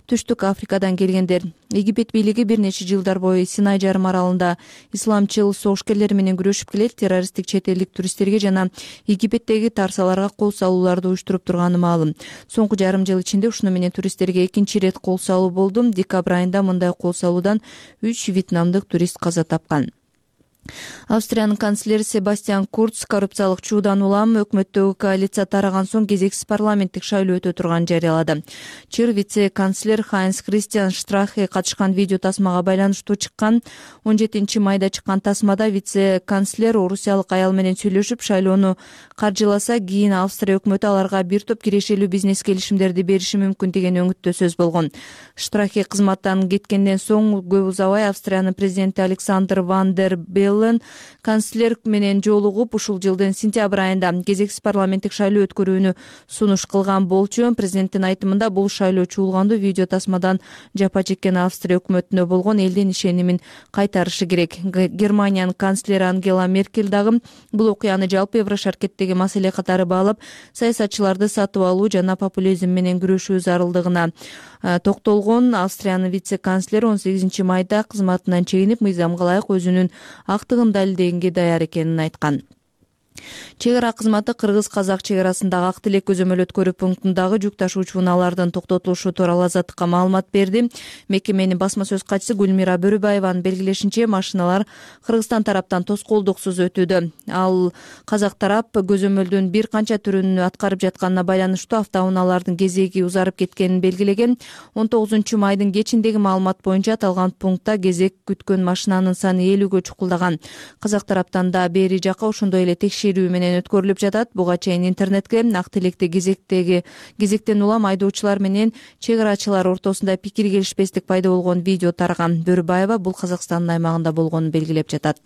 Түштүк Африкадан келгендер. Египет бийлиги бир нече жылдар бою Синай жарым аралында исламчыл согушкерлер менен күрөшүп келет. Террористтик чет элдик туристтерге жана Египеттеги тарсаларга кол салууларды уюштуруп турганы маалым. Соңку жарым жыл ичинде ушуну менен туристтерге экинчи ирет кол салуу болду. Декабрь айында мындай кол салуудан 3 вьетнамдык турист каза тапкан. Австриянын канцлери Себастьян Курц коррупциялык чуудан улам өкмөттөгү коалиция тараган соң кезексиз парламенттик шайлоо өтө турганын жарыялады. Чыр вице-канцлер Хайнс Кристиан Штрахе катышкан видео тасмага байланыштуу чыккан. 17-майда чыккан тасмада вице-канцлер орусиялык аял менен сүйлөшүп, шайлоону каржыласа, кийин Австрия өкмөтү аларга бир топ кирешелүү бизнес келишимдерди бериши мүмкүн деген өңүттө сөз болгон. Штрахе кызматтан кеткенден соң көп узабай Австриянын президенти Александр ван дер Беллен канцлер менен жолугуп, ушул жылдын сентябрь айында кезексиз парламенттик шайлоо өткөрүүнү сунуш кылган болчу. Президенттин айтымында бул шайлоо чуулгандуу видео тасмадан жапа чеккен Австрия өкмөтүнө болгон элдин ишенимин кайтарышы керек. Германиянын канцлери Ангела Меркель дагы бул окуяны жалпы Еврошаркеттеги маселе катары баалап, саясатчыларды сатып алуу жана популизм менен күрөшүү зарылдыгына токтолгон. Австриянын вице-канцлери 18-майда кызматынан чегинип, мыйзамга ылайык өзүнүн актыгын далилдегенге даяр экенин айткан. Чек ара кызматы кыргыз-казак чек арасындагы ак тилек көзөмөл өткөрүү пунктундагы жүк ташуучу унаалардын токтотулушу тууралуу Азаттыкка маалымат берди. Мекеменин басма сөз катчысы Гүлмира Бөрүбаеванын белгилешинче, машиналар Кыргызстан тараптан тоскоолдуксуз өтүүдө. Ал казак тарап көзөмөлдүн бир канча түрүн аткарып жатканына байланыштуу автоунаалардын кезеги узарып кеткенин белгилеген. 19-майдын кечиндеги маалымат боюнча аталган пунктта кезек күткөн машинанын саны 50гө чукулдаган. Казак тараптан да бери жака ошондой эле текшерүү менен өткөрүлүп жатат. Буга чейин интернетке ак тилекте кезектен улам айдоочулар менен чек арачылар ортосунда пикир келишпестик пайда болгон видео тараган. Бөрүбаева бул Казакстандын аймагында болгонун белгилеп жатат.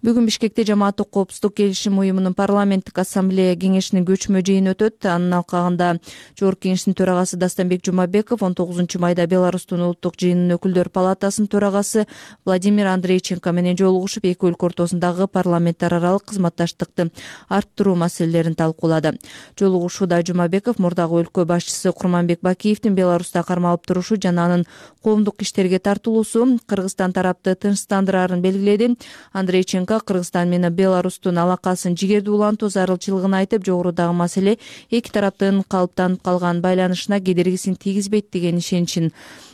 Бүгүн Бишкекте Жамааттык коопсуздук келишим уюмунун парламенттик ассамблея кеңешинин көчмө жыйыны өтөт. Анын алкагында Жогорку кеңештин төрагасы Дастанбек Жумабеков, 19-майда Беларустун улуттук жыйынынын өкүлдөр палатасынын төрагасы Владимир Андрейченко менен жолугушуп, эки өлкө ортосундагы парламенттер аралык кызматташтыкты арттыруу маселелерин талкуулады. Жолугушууда Жумабеков мурдагы өлкө башчысы Курманбек Бакиевдин Беларуста кармалып турушу жана анын коомдук иштерге тартылуусу Кыргызстан тарапты тынчтандырарын белгиледи. Андрейченко Кыргызстан менен Беларустун алакасын жигердүү улантуу зарылчылыгын айтып, жогорудагы маселе эки тараптын калыптанып калган байланышына кедергисин тийгизбейт деген ишеничин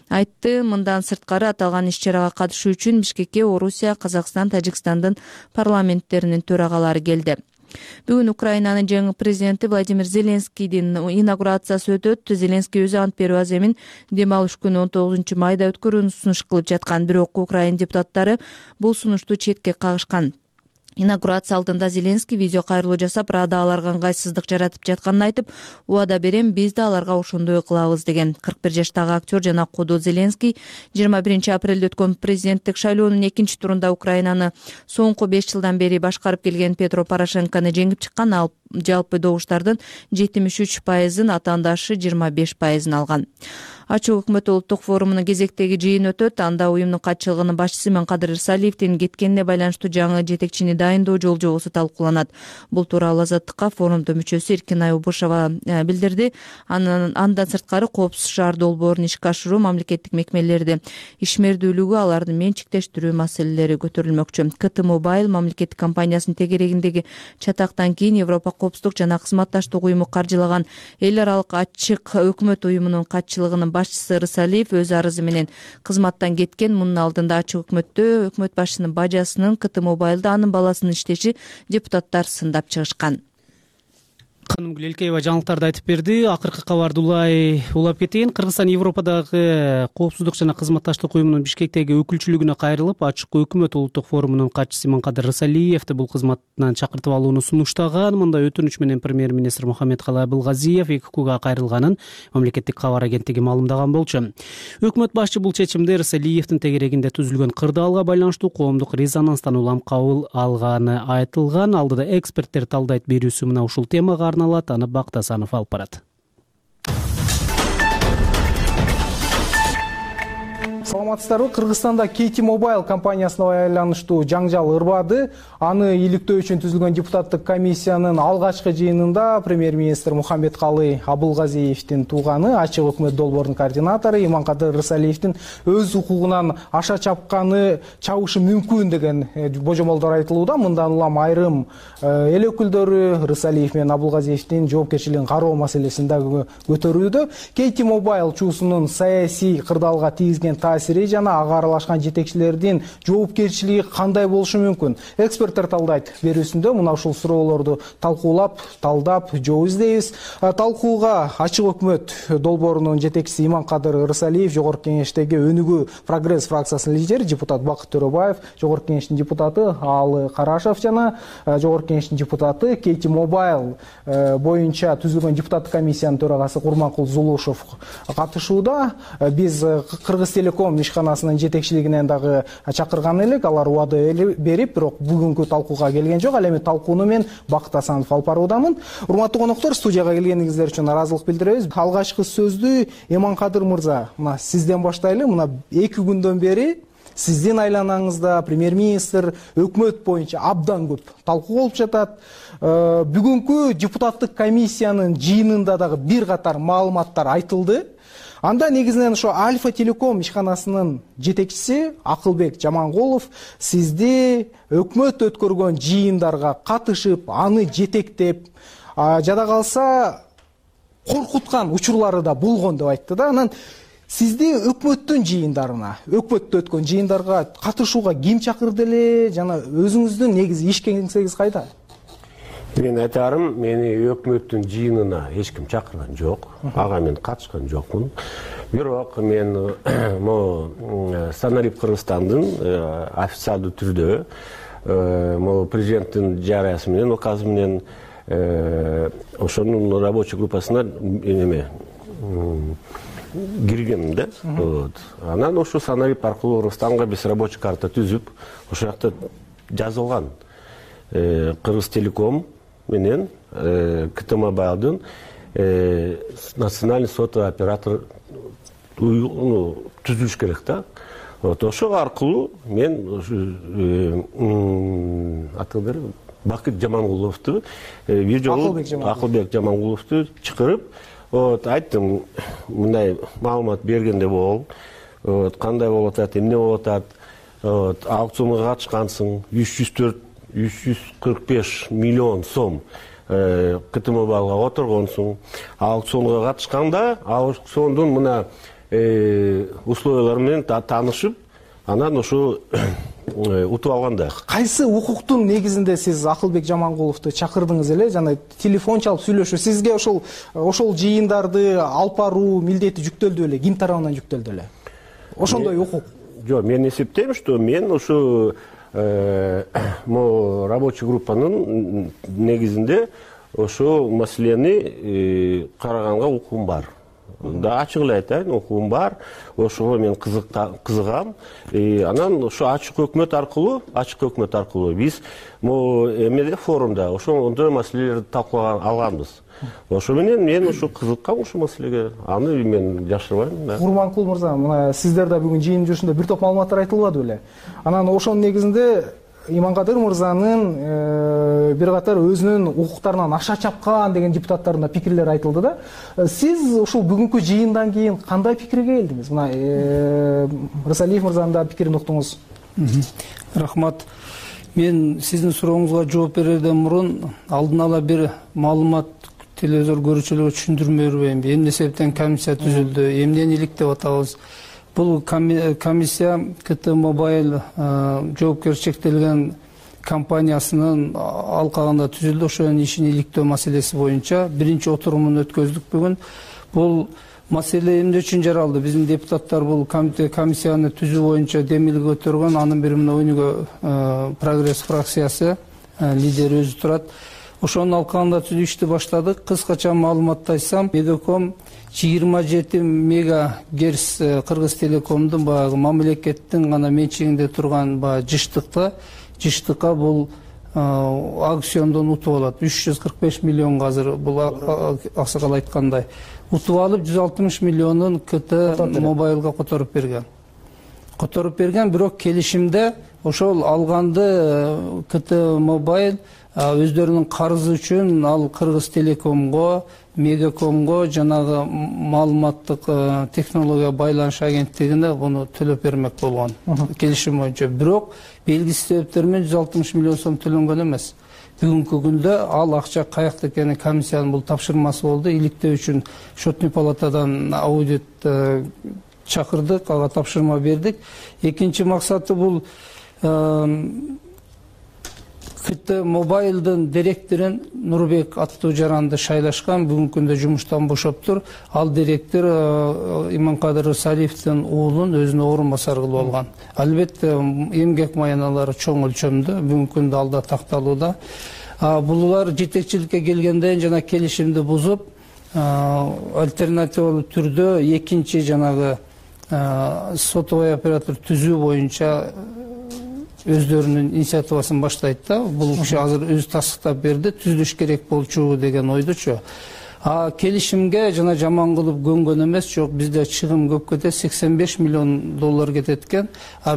айтты. Мындан сырткары аталган иш-чарага катышуу үчүн Бишкекке Орусия, Казакстан, Тажикстандын парламенттеринин төрагалары келди. Бүгүн Украинанын жаңы президенти Владимир Зеленскийдин инаугурациясы өтөт. Зеленский өзү ант берүү аземин дем алыш күнү 19-майда өткөрүүнү сунуш кылып жаткан. Бирок Украин депутаттары бул сунушту четке кагышкан. Инаугурация алдында Зеленский видео кайрылуу жасап, Рада аларга ыңгайсыздык жаратып жатканын айтып, убада берем, биз да аларга ошондой кылабыз деген. 41 жаштагы актер жана кодо Зеленский 21 апрелде өткөн президенттик шайлоонун экинчи турунда Украинаны соңку 5 жылдан бери башкарып келген Петро Порошенкону жеңип чыккан. Ал жалпы добуштардын 73%, атаандашы 25% алган. Ачык өкмөт улуттук форумунун кезектеги жыйыны өтөт. Анда уюмдун катчылыгынын башчысы Иманкадыр Рысалиевдин кеткенине байланыштуу жаңы жетекчини дайындоо жол-жобосу талкууланат. Бул тууралуу Азаттыкка форумдун мүчөсү Эркинай Убушова билдирди. Андан сырткары Коопсуз шаар долбоорун ишке ашыруу, мамлекеттик мекемелерди ишмердүүлүгү, аларды менчиктештирүү маселелери көтөрүлмөкчү. КТ Mobile мамлекеттик компаниясынын тегерегиндеги чатактан кийин Европа коопсуздук жана кызматташтык уюму каржылаган эл аралык ачык өкмөт уюмунун катчылыгынын башчысы Рысалиев өз арызы менен кызматтан кеткен. Мунун алдында ачык өкмөттө өкмөт башчысынын бажасынын КТ Mobile'да анын баласынын иштеши депутаттар сындап чыгышкан. Канымгүл Элкеева жаңылыктарды айтып берди. Акыркы кабарды улап кетейин. Кыргызстан Европадагы коопсуздук жана кызматташтык уюмунун Бишкектеги өкүлчүлүгүнө кайрылып, ачык өкмөт улуттук форумунун катчысы Иманкадыр Рысалиевди бул кызматтан чакыртып алууну сунуштаган. Мындай өтүнүч менен премьер-министр Мухаммедкалый Абылгазиев ЭККУга кайрылганын мамлекеттик кабар агенттиги маалымдаган болчу. Өкмөт башчы бул чечимди Рысалиевдин тегерегинде түзүлгөн кырдаалга байланыштуу коомдук резонанстан улам кабыл алганы айтылган. Алдыда эксперттер талдайт берүүсү мына ушул темага аны Бактасанов алып барат. Саламатсыздарбы? Кыргызстанда KT Mobile компаниясына байланыштуу жаңжал ырбады. Аны иликтөө үчүн түзүлгөн депутаттык комиссиянын алгачкы жыйынында премьер-министр Мухаммедкалый Абылгазиевдин тууганы, ачык өкмөт долбоорунун координатору Иманкадыр Рысалиевдин өз укугунан аша чабышы мүмкүн деген божомолдор айтылууда. Мындан улам айрым эл өкүлдөрү Рысалиев менен Абылгазиевдин жоопкерчилигин кароо маселесин дагы көтөрүүдө. KT Mobile чуусунун саясий кырдаалга тийгизген таасири жана ага аралашкан жетекчилердин жоопкерчилиги кандай болушу мүмкүн? Эксперттер талдайт берүүсүндө мына ушул суроолорду талкуулап, талдап, жооп издейбиз. Талкууга ачык өкмөт долбоорунун жетекчиси Иманкадыр Рысалиев, жогорку кеңештеги Өнүгүү Прогресс фракциясынын лидери депутат Бакыт Төрөбаев, жогорку кеңештин депутаты Аалы Карашев жана жогорку кеңештин депутаты KT Mobile боюнча түзүлгөн депутаттык комиссиянын төрагасы Курманкул Зулушев катышууда. Биз Кыргыз Телеком ишканасынын жетекчилигинен дагы чакырган элек, алар убада берип, бирок бүгүнкү талкууга келген жок. Ал эми талкууну мен Бакыт Асанов алып баруудамын. Урматтуу коноктор, студияга келгениңиздер үчүн ыраазылык билдиребиз. Алгачкы сөздү Иманкадыр мырза, мына сизден баштайлы. Мына 2 күндөн бери сиздин айланаңызда премьер-министр өкмөт боюнча абдан көп талкуу болуп жатат. Бүгүнкү депутаттык комиссиянын жыйынында дагы бир катар маалыматтар айтылды. Анда негизинен ошо Альфа Телеком ишканасынын жетекчиси Акылбек Жамангулов сизди өкмөт өткөргөн жыйындарга катышып, аны жетектеп, жада калса коркуткан учурлары да болгон деп айтты да. Анан сизди өкмөттүн жыйындарына, өкмөттө өткөн жыйындарга катышууга ким чакырды эле жана өзүңүздүн негизи иш кеңсеңиз кайда? Мен айтарым, мени өкмөттүн жыйынына эч ким чакырган жок. Ага мен катышкан жокмун. Бирок мен Санарип Кыргызстандын официалдуу түрдө президенттин жарыясы менен, указы менен ошонун рабочий группасына киргенмин да. Анан ошо Санарип аркылуу Кыргызстанга биз рабочий карта түзүп, ошол жакта жазылган Кыргыз Телеком менен КТ Mobile'дын национальный сотовый оператор түзүлүш керек да. Ошол аркылуу мен Бакыт Жамангуловду бир жолу Акылбек Жамангуловду чакырып, айттым, мындай маалымат бергенде бол, кандай болуп атат, эмне болуп атат, аукционго катышкансың, 345 миллион сом КТ Mobile'га отургонсуң. Аукционго катышканда, аукциондун мына условиялары менен таанышып, анан ошо утуп алган да. Кайсы укуктун негизинде сиз Акылбек Жамангуловду чакырдыңыз эле, жана телефон чалып сүйлөшүү, сизге ошол жыйындарды алып баруу милдети жүктөлдү эле, ким тарабынан жүктөлдү эле? Ошондой укук. Жок, мен эсептейм, что мен ошо рабочий группанын негизинде ошо маселени караганга укугум бар. да, ачык эле айтайын, окуум бар, ошого мен кызыгам. Анан ошо ачык өкмөт аркылуу биз эмеде форумда ошондой маселелерди талкууга алганбыз. Ошо менен мен ушу кызыккам ушул маселеге. Аны мен жашырбайм. Курманкул мырза, мына сиздерде бүгүн жыйын жүрүшүндө бир топ маалыматтар айтылбады беле? Анан ошонун негизинде Иманкадыр мырзанын бир катар өзүнүн укуктарынан аша чапкан деген депутаттардын пикирлери айтылды да. Сиз ушул бүгүнкү жыйындан кийин кандай пикирге келдиңиз? Мына Рысалиев мырзанын да пикирин уктуңуз. Рахмат. Мен сиздин сурооңузга жооп берерден мурун алдын ала бир маалымат телевизор көрүүчүлөргө түшүндүрмө берейин. Эмне себептен комиссия түзүлдү, эмнени иликтеп атабыз? Бул комиссия КТ Мобайл жоопкерчиликтелген компаниясынын алкагында түзүлдү. Ошонун ишин иликтөө маселеси боюнча биринчи отурумун өткөздүк бүгүн. Бул маселе эмне үчүн жаралды? Биздин депутаттар бул комиссияны түзүү боюнча демилге көтөргөн, анын бири мына өнүгө прогресс фракциясы лидери өзү турат. Ошонун алкагында түзүү ишти баштадык. Кыскача маалыматты айтсам, Мегаком 27 мегагерц Кыргыз Телекомдун баягы мамлекеттин гана менчигинде турган жыштыкка бул аукциондон утуп алат. 345 миллионго азыр бул аксакал айткандай. Утуп алып 160 миллионун КТ Мобайлга которуп берген, бирок келишимде ошол алганды КТ Мобайл өздөрүнүн карызы үчүн ал Кыргыз Телекомго, Мегакомго жанагы маалыматтык технология байланыш агенттигине буну төлөп бермек болгон келишим боюнча. Бирок белгисиз себептер менен 160 миллион сом төлөнгөн эмес. Бүгүнкү күндө ал акча каякта экени комиссиянын бул тапшырмасы болду. Иликтөө үчүн Счетный палатадан аудит чакырдык, ага тапшырма бердик. Экинчи максаты бул КТ Мобайлдын директорун Нурбек аттуу жаранды шайлашкан, бүгүнкү күндө жумуштан бошоптур. Ал директор Иманкадыр Рысалиевдин уулун өзүнө орун басар кылып алган. Албетте эмгек маяналары чоң өлчөмдө, бүгүнкү күндө алда такталууда. Булар жетекчиликке келгенден жана келишимди бузуп, альтернативалуу түрдө экинчи жанагы сотовый оператор түзүү боюнча өздөрүнүн инициативасын баштайт да. Бул киши азыр өзү тастыктап берди, түзүлүш керек болчу деген ойдучу. Келишимге жана жаман кылып көнгөн эмес, жок, бизде чыгым көп кетет, 85 миллион доллар кетет экен.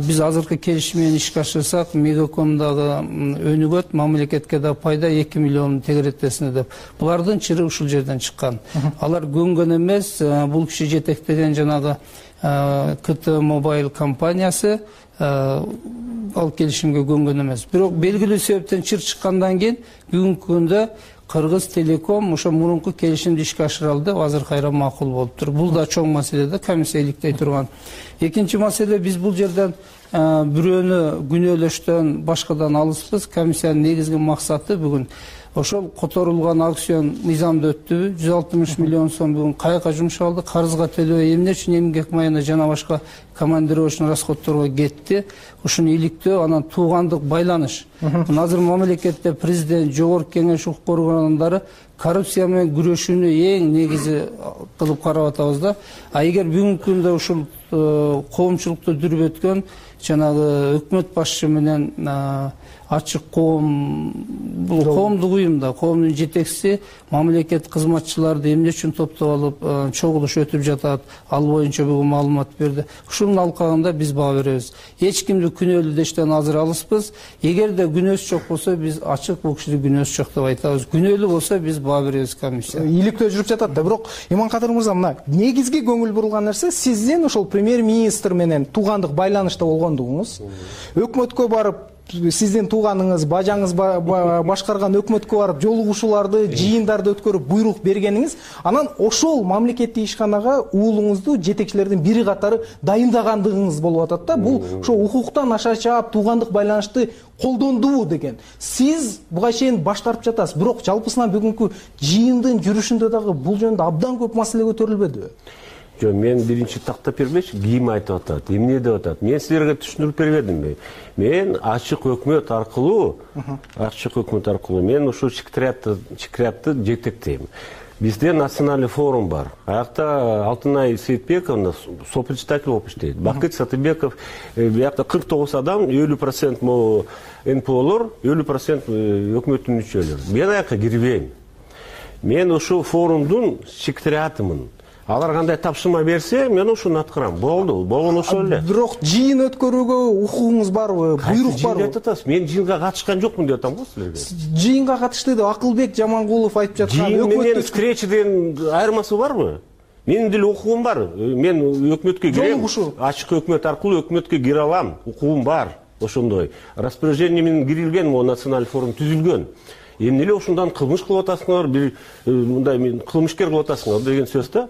Биз азыркы келишим менен ишке ашырсак, Мегакомдагы өнүгөт, мамлекетке да пайда 2 миллион тегеретесине деп. Булардын чыры ушул жерден чыккан. Алар көнгөн эмес, бул киши жетектеген жанагы КТ Мобайл компаниясы ал келишимге көнгөн эмес. Бирок белгилүү себептен чыр чыккандан кийин бүгүнкү күндө Кыргыз Телеком ошо мурунку келишимди ишке ашыра алды, азыр кайра макул болуптур. Бул да чоң маселе да, комиссия иликтей турган. Экинчи маселе, биз бул жерден бирөөнү күнөөлөштөн, башкадан алыспыз. Комиссиянын негизги максаты бүгүн ошол которулган аукцион мыйзамда өттүбү, 160 миллион сом бүгүн каяка жумшалды, карызга төлөбөй эмне үчүн эмгек майына жана башка командировочный расходторго кетти, ушуну иликтөө, анан туугандык байланыш. Азыр мамлекетте президент, жогорку кеңеш укук органдары коррупция менен күрөшүүнү эң негизи кылып карап атабыз да. Эгер бүгүнкү күндө ушул коомчулукту дүрбөткөн жанагы өкмөт башчы менен ачык коом, бул коомдук уюм да, коомдун жетекчиси мамлекет кызматчыларды эмне үчүн топтоп алып чогулуш өтүп жатат, ал боюнча бүгүн маалымат берди. Ушунун алкагында биз баа беребиз. Эч кимди күнөөлүү дештен азыр алыспыз. Эгерде күнөөсү жок болсо, биз ачык бул кишиде күнөөсү жок деп айтабыз. Күнөөлүү болсо, биз баа беребиз комиссия. Иликтөө жүрүп жатат да, бирок Иманкадыр мырза, мына негизги көңүл бурулган нерсе сиздин ошол премьер-министр менен туугандык байланышта болгондугуңуз. Өкмөткө барып, сиздин тууганыңыз, бажаңыз башкарган өкмөткө барып жолугушууларды, жыйындарды өткөрүп буйрук бергениңиз, анан ошол мамлекеттик ишканага уулуңузду жетекчилердин бири катары дайындагандыгыңыз болуп атат да. Бул ошо укуктан аша чаап туугандык байланышты колдондубу деген. Сиз буга чейин баштарып жатасыз, бирок жалпысынан бүгүнкү жыйындын жүрүшүндө дагы бул жөнүндө абдан көп маселе көтөрүлбөдүбү? Жок, мен биринчи тактап бербейчи, ким айтып атат, эмне деп атат. Мен силерге түшүндүрүп бербедимби? Мен ачык өкмөт аркылуу мен ушул шикриятты жетектейм. Бизде национальный форум бар. Аякта Алтынай Сейитбековна сопредседатель болуп иштейт. Бакыт Сатыбеков, биякта 49 адам, 50% могу НПОлор, 50% өкмөттүн мүчөлөрү. Мен аякка кирбейм. Мен ушул форумдун секретариатымын. Алар кандай тапшырма берсе, мен ошону аткарам. Болду, болгон ошол эле. Бирок жыйын өткөрүүгө укугуңуз барбы, буйрук барбы? Мен жыйынга катышкан жокмун деп атам го силерге. Жыйынга катышты деп Акылбек Жамангулов айтып жаткан. Жыйын менен встречаден айырмасы барбы? Менин деле укугум бар. Мен өкмөткө кирем. Ачык өкмөт аркылуу өкмөткө кире алам. Укугум бар. Ошондой. Распоряжение менен кирилген, могу националдык форум түзүлгөн. Эмне эле ушундан кылмыш кылып атасыңар, бир мындай мен кылмышкер кылып атасыңар деген сөз да.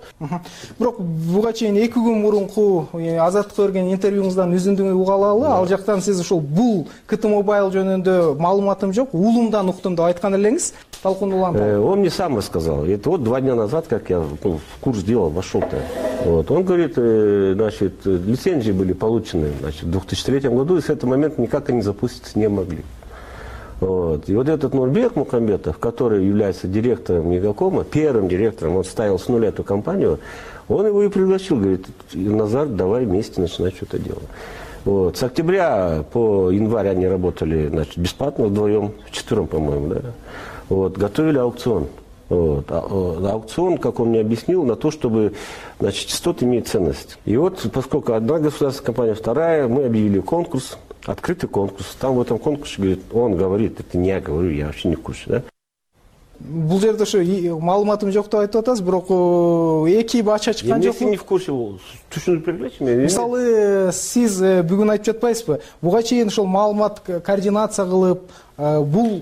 Бирок буга чейин 2 күн мурунку Азаттыкка берген интервьюңуздан үзүндү уга алалы. Ал жактан сиз ушул бул КТ Мобайл жөнүндө маалыматым жок, улумдан уктум деп айткан элеңиз. Талкуунуланды. Он мне сам рассказал. Это вот 2 дня назад, как я в курс делал, вошел-то. Вот. Он говорит, значит, лицензии были получены, значит, в 2003 году, и с этого момента никак они запуститься не могли. Вот. И вот этот Нурбек Мухамбетов, который является директором Мегакома, первым директором, он ставил с нуля эту компанию, он его и пригласил, говорит, Назар, давай вместе начинать что-то делать. Вот. С октября по январь они работали, значит, бесплатно вдвоем, вчетвером, по-моему, да. Вот. Готовили аукцион. Вот. Аукцион, как он мне объяснил, на то, чтобы, значит, частоты имеют ценность. И вот, поскольку одна государственная компания, вторая, мы объявили конкурс, открытый конкурс. Там в этом конкурсе, говорит, он говорит, это не я говорю, я вообще не в курсе, да? Бул жерде ошо маалыматым жок деп айтып атасыз, бирок эки бача чыккан жок. Эмнеси не в курсе, түшүнүп бергилечи мени. Мисалы, сиз бүгүн айтып жатпайсызбы? Буга чейин ошол маалымат координация кылып, бул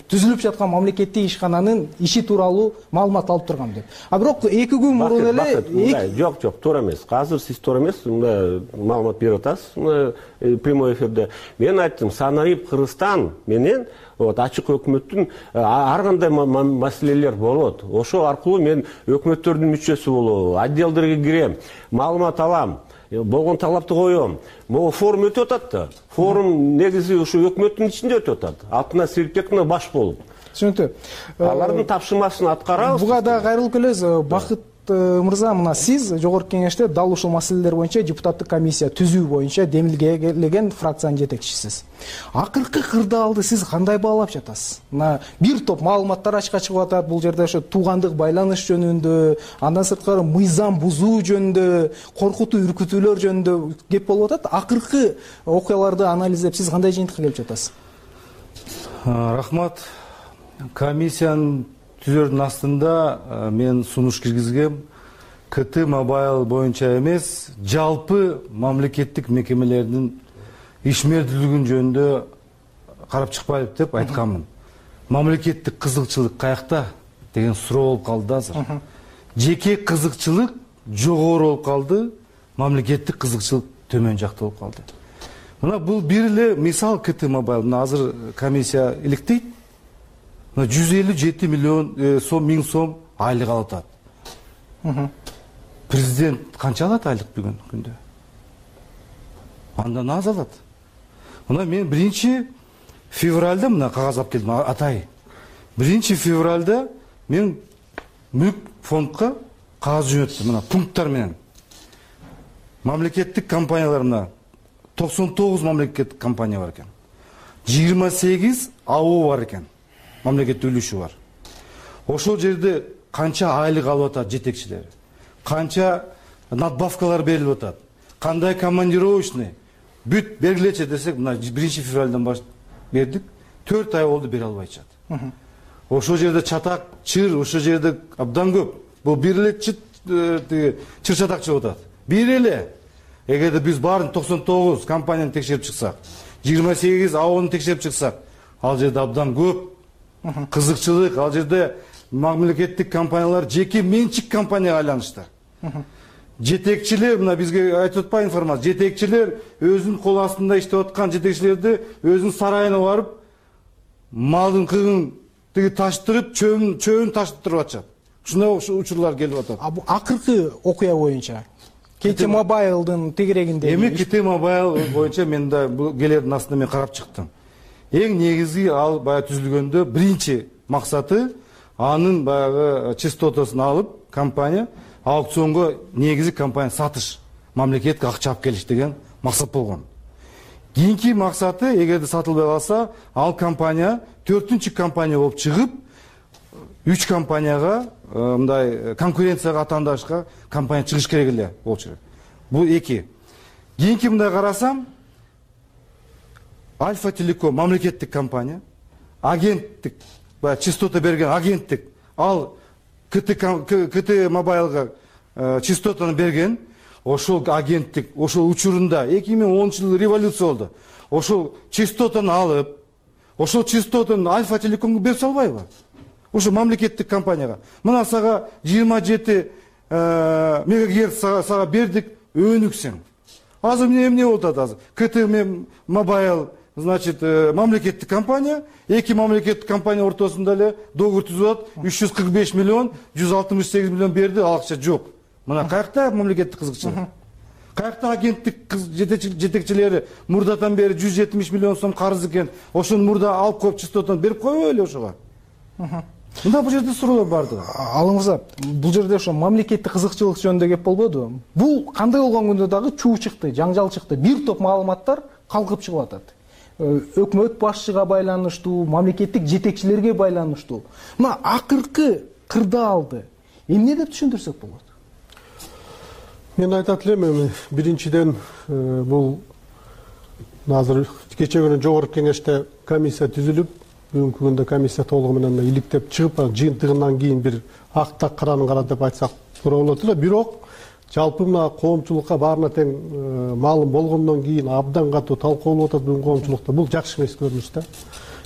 түзүлүп жаткан мамлекеттик ишкананын иши тууралуу маалымат алып тургам деп. А бирок 2 күн мурун эле жок, туура эмес. Азыр сиз туура эмес, маалымат берип атасыз прямой эфирде. Мен айттым, Санарип Кыргызстан менен вот ачык өкмөттүн ар кандай маселелер болот. Ошо аркылуу мен өкмөттөрдүн мүчөсү болобу, отделдерге кирем, маалымат алам. Болгон талапты коем. Могу форум өтүп атат да. Форум негизи ушу өкмөттүн ичинде өтүп атат. Алтынай Сейитбековна баш болуп. Түшүнүктүү. Алардын тапшырмасын аткарабыз. Буга да кайрылып келебиз. Бакыт мырза, мына сиз жогорку кеңеште дал ушул маселелер боюнча депутаттык комиссия түзүү боюнча демилгелеген фракциянын жетекчисисиз. Акыркы кырдаалды сиз кандай баалап жатасыз? Мына бир топ маалыматтар ачыкка чыгып атат, бул жерде ошо туугандык байланыш жөнүндө, андан сырткары мыйзам бузуу жөнүндө, коркутуу, үркүтүүлөр жөнүндө кеп болуп атат. Акыркы окуяларды анализдеп сиз кандай жыйынтыкка келип жатасыз? Рахмат. Комиссиянын түзөрдүн астында мен сунуш киргизгем. КТ Мобайл боюнча эмес, жалпы мамлекеттик мекемелердин ишмердүүлүгүн жөнүндө карап чыкпайлык деп айтканмын. Мамлекеттик кызыкчылык каякта деген суроо болуп калды азыр. Жеке кызыкчылык жогору болуп калды, мамлекеттик кызыкчылык төмөн жакта болуп калды. Мына бул бир эле мисал КТ Мобайл. Мына азыр комиссия иликтейт. 157 миллион миң сом айлык алып атат. Президент канча алат айлык бүгүн күндө? Андан аз алат. Мына мен 1 февралда мына кагаз алып келдим, атай. 1 февралда мен мүлк фондко кагаз жөнөттүм, мына пункттар менен. Мамлекеттик компаниялар мына 99 мамлекеттик компания бар экен. 28 АО бар экен. Мамлекеттик үлүшү бар. Ошол жерде канча айлык алып атат жетекчилери, канча надбавкалар берилип атат, кандай командировочный, бүт бергилечи десек, мына 1 февралдан баштап бердик, 4 ай болду бере албайчат. Ошол жерде чатак, чыр, ошол жерде абдан көп. Бул бир эле чыр чатак чыгып атат. Бир эле. Эгерде биз баарын 99 компанияны текшерип чыксак, 28 АОны текшерип чыксак, ал жерде абдан көп кызыкчылык, ал жерде мамлекеттик компаниялар жеке менчик компанияга айланыштыр. Жетекчилер, мына бизге айтып атпайбы информация, жетекчилер өзүнүн кол астында иштеп аткан жетекчилерди өзүнүн сарайына барып, малдын кыгын таштырып, чөбүн таштырып атышат. Ушундай учурлар келип атат. Акыркы окуя боюнча КТ Мобайлдын тегерегинде эми КТ Мобайл боюнча мен да бул келердин астында мен карап чыктым. Эң негизги ал баягы түзүлгөндө биринчи максаты анын баягы частотосун алып компания аукционго негизи компания сатыш, мамлекетке акча алып келиш деген максат болгон. Кийинки максаты эгерде сатылбай калса, ал компания 4-чү компания болуп чыгып, 3 компанияга мындай конкуренцияга атаандашка компания чыгыш керек эле болчу. Бул 2. Кийинки мындай карасам, Альфа Телеком мамлекеттик компания, агенттик, частота берген агенттик, ал КТ Мобайлга частотаны берген, ошол агенттик, ошол учурунда 2010-жылы революция болду. Ошол частотаны алып, ошол частотаны Альфа Телекомго берип салбайбы? Ошо мамлекеттик компанияга. Мына сага 27 мегагерц сага бердик, өнүксүң. Азыр эмне болуп атат азыр? КТ Мобайл, значит, мамлекеттик компания, 2 мамлекеттик компания ортосунда эле договор түзүп атат, 345 миллион, 168 миллион берди, ал акча жок. Мына каякта мамлекеттик кызыкчылык? Каякта агенттик жетекчилери мурдатан бери 170 миллион сом карыз экен, ошону мурда алып коюп частотаны берип койбой эле ошого. Мында бул жерде суроолор бардыгы. Ал мырза, бул жерде ошо мамлекеттик кызыкчылык жөнүндө кеп болбоду. Бул кандай болгон күндө дагы чуу чыкты, жаңжал чыкты. Бир топ маалыматтар калкып чыгып атат. Өкмөт башчыга байланыштуу, мамлекеттик жетекчилерге байланыштуу. Мына акыркы кырдаалды эмне деп түшүндүрсөк болот? Мен айтат элем, биринчиден бул азыр кече күнү жогорку кеңеште комиссия түзүлүп, бүгүнкү күндө комиссия толугу менен иликтеп чыгып, жыйынтыгынан кийин бир актак каранын кара деп айтсак туура болот эле. Бирок жалпы мына коомчулукка баарына тең маалым болгондон кийин абдан катуу талкууланып атат бүгүн коомчулукта. Бул жакшы эмес көрүнүш да.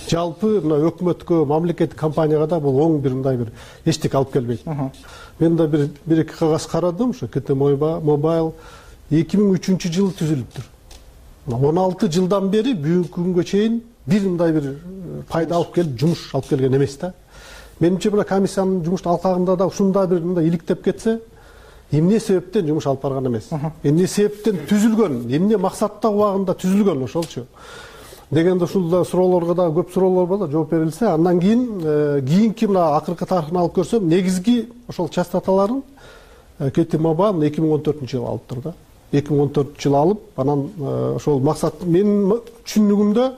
Жалпы мына өкмөткө, мамлекеттик компанияга да бул оң бир мындай бир эчтеке алып келбейт. Мен да бир эки кагаз карадым, ошо КТ Мобайл 2003-жылы түзүлүптүр. 16 жылдан бери бүгүнкү күнгө чейин бир мындай бир пайда алып келип, жумуш алып келген эмес да. Менимче мына комиссиянын жумуштун алкагында да ушундай бир мындай иликтеп кетсе, эмне себептен жумуш алып барган эмес, эмне себептен түзүлгөн, эмне максатта убагында түзүлгөн ошолчу дегенде ушул да суроолорго да көп суроолор бар да, жооп берилсе, андан кийинки мына акыркы тарыхын алып көрсөм, негизги ошол частоталарын КТ Мобайл 2014-жылы алыптыр да. 2014-жылы алып, анан ошол максат, менин түшүнүгүмдө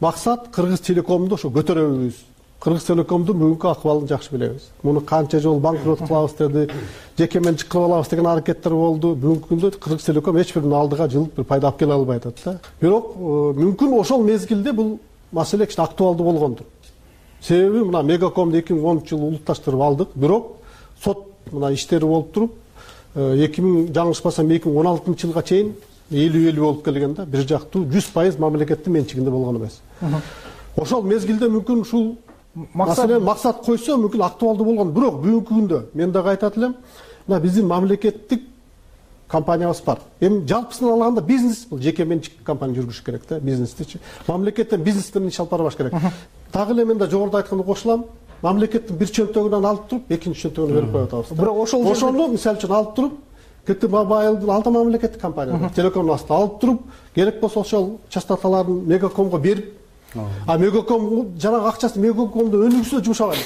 максат Кыргыз Телекомду ошо көтөрөбүз. Кыргыз Телекомдун бүгүнкү акыбалын жакшы билебиз. Муну канча жолу банкрот кылабыз деди, жеке менчик кылып алабыз деген аракеттер болду. Бүгүнкү күндө Кыргыз Телеком эч бир алдыга жылып бир пайда алып келе албай атат да. Бирок мүмкүн ошол мезгилде бул маселе кичине актуалдуу болгондур. Себеби мына Мегакомду 2010-жылы улутташтырып алдык, бирок сот мына иштери болуп туруп, 2000 жаңылышпасам 2016-жылга чейин 50-50 болуп келген да, бир жактуу 100% мамлекеттин менчигинде болгон эмес. Ошол мезгилде мүмкүн ушул максат койсо мүмкүн актуалдуу болгон. Бирок бүгүнкү күндө мен дагы айтат элем, мына биздин мамлекеттик компаниябыз бар. Эми жалпысын алганда бизнес бул жеке менчик компания жүргүзүш керек да, бизнестичи. Мамлекеттен бизнес менен иш алып барбаш керек. Дагы эле мен да жогоруда айтканды кошулам. Мамлекеттин бир чөнтөгүнөн алып туруп, экинчи чөнтөгүнө берип коюп атабыз. Бирок ошону мисалы үчүн алып туруп, КТ Мобайлдын алты мамлекеттик компания, Телекомдун астында алып туруп, керек болсо ошол частоталарын Мегакомго берип, а Мегаком жанагы акчасы Мегакомдо өнүгүүсүнө жумшабайт.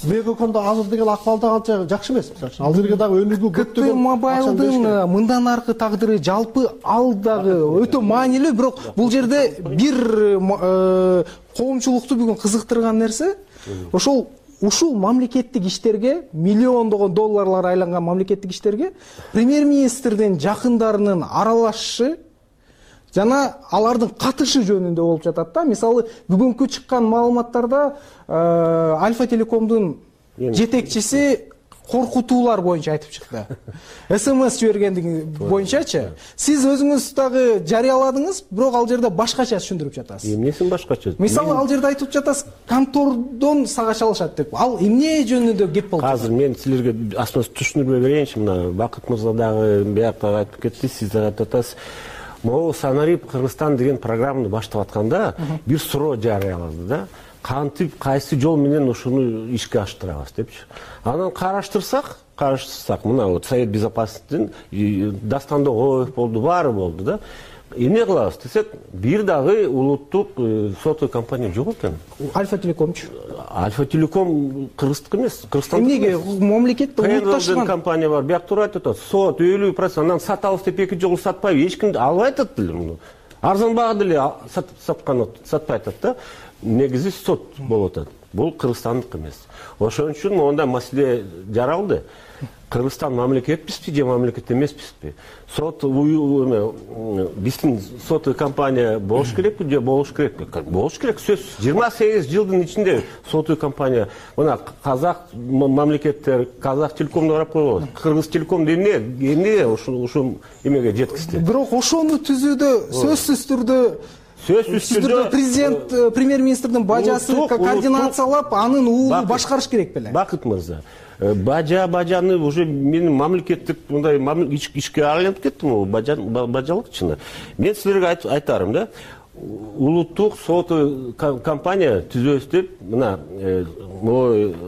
Мегакомдо азыр деген акыбалда канча жакшы эмес. Ал жерге дагы өнүгүү көптөгөн. КТ Мобайлдын мындан аркы тагдыры жалпы ал дагы өтө маанилүү, бирок бул жерде бир коомчулукту бүгүн кызыктырган нерсе, ушул мамлекеттик иштерге, миллиондогон долларлар айланган мамлекеттик иштерге премьер-министрдин жакындарынын аралашышы жана алардын катышы жөнүндө болуп жатат да. Мисалы, бүгүнкү чыккан маалыматтарда Альфа Телекомдун жетекчиси коркутуулар боюнча айтып чыкты. СМС жибергендиги боюнчачы. Сиз өзүңүз дагы жарыяладыңыз, бирок ал жерде башкача түшүндүрүп жатасыз. Эмнесин башкача? Мисалы, ал жерде айтып жатасыз, контордон сага чалышат деп. Ал эмне жөнүндө кеп болду? Азыр мен силерге асмасы түшүндүрбөй берейинчи. Мына Бакыт мырза дагы биякта айтып кетти, сиз дагы айтып атасыз. Могу Санарип Кыргызстан деген программаны баштап атканда бир суроо жарыялады да. Кантип, кайсы жол менен ушуну ишке аштырабыз депчи. Анан караштырсак, мына вот Совет Безопасностьтун Дастан Догоев болду, баары болду да. эмне кылабыз десек, бир дагы улуттук сотовый компания жок экен. Альфа Телекомчу. Альфа Телеком кыргыздык эмес. Эмнеге мамлекетте улутташкан компания бар. Бияк туруп айтып атат. Сот 50%, анан сатабыз деп эки жолу сатпайбы. Эч ким албай атат деле муну. Арзан баада деле сатпай атат да. Негизи сот болуп атат. Бул Кыргызстандык эмес. Ошон үчүн мондай маселе жаралды. Кыргызстан мамлекетпизби же мамлекет эмеспизби? Сот биздин сотовый компания болуш керекпи же болуш керекпи? Болуш керек, сөзсүз. 28 жылдын ичинде сотовый компания, мына казак мамлекеттер, казак телекомду карап койгула. Кыргыз телеком эмне ушул эмеге жеткизди? Бирок ошону түзүүдө сөзсүз түрдө президент, премьер-министрдин бажасы координациялап, анын уулу башкарыш керек беле? Бакыт мырза, бажаны уже менин мамлекеттик мындай ишке айланып кеттим, бажалыкчыны. Мен силерге айтарым да, улуттук сотовый компания түзөбүз деп, мына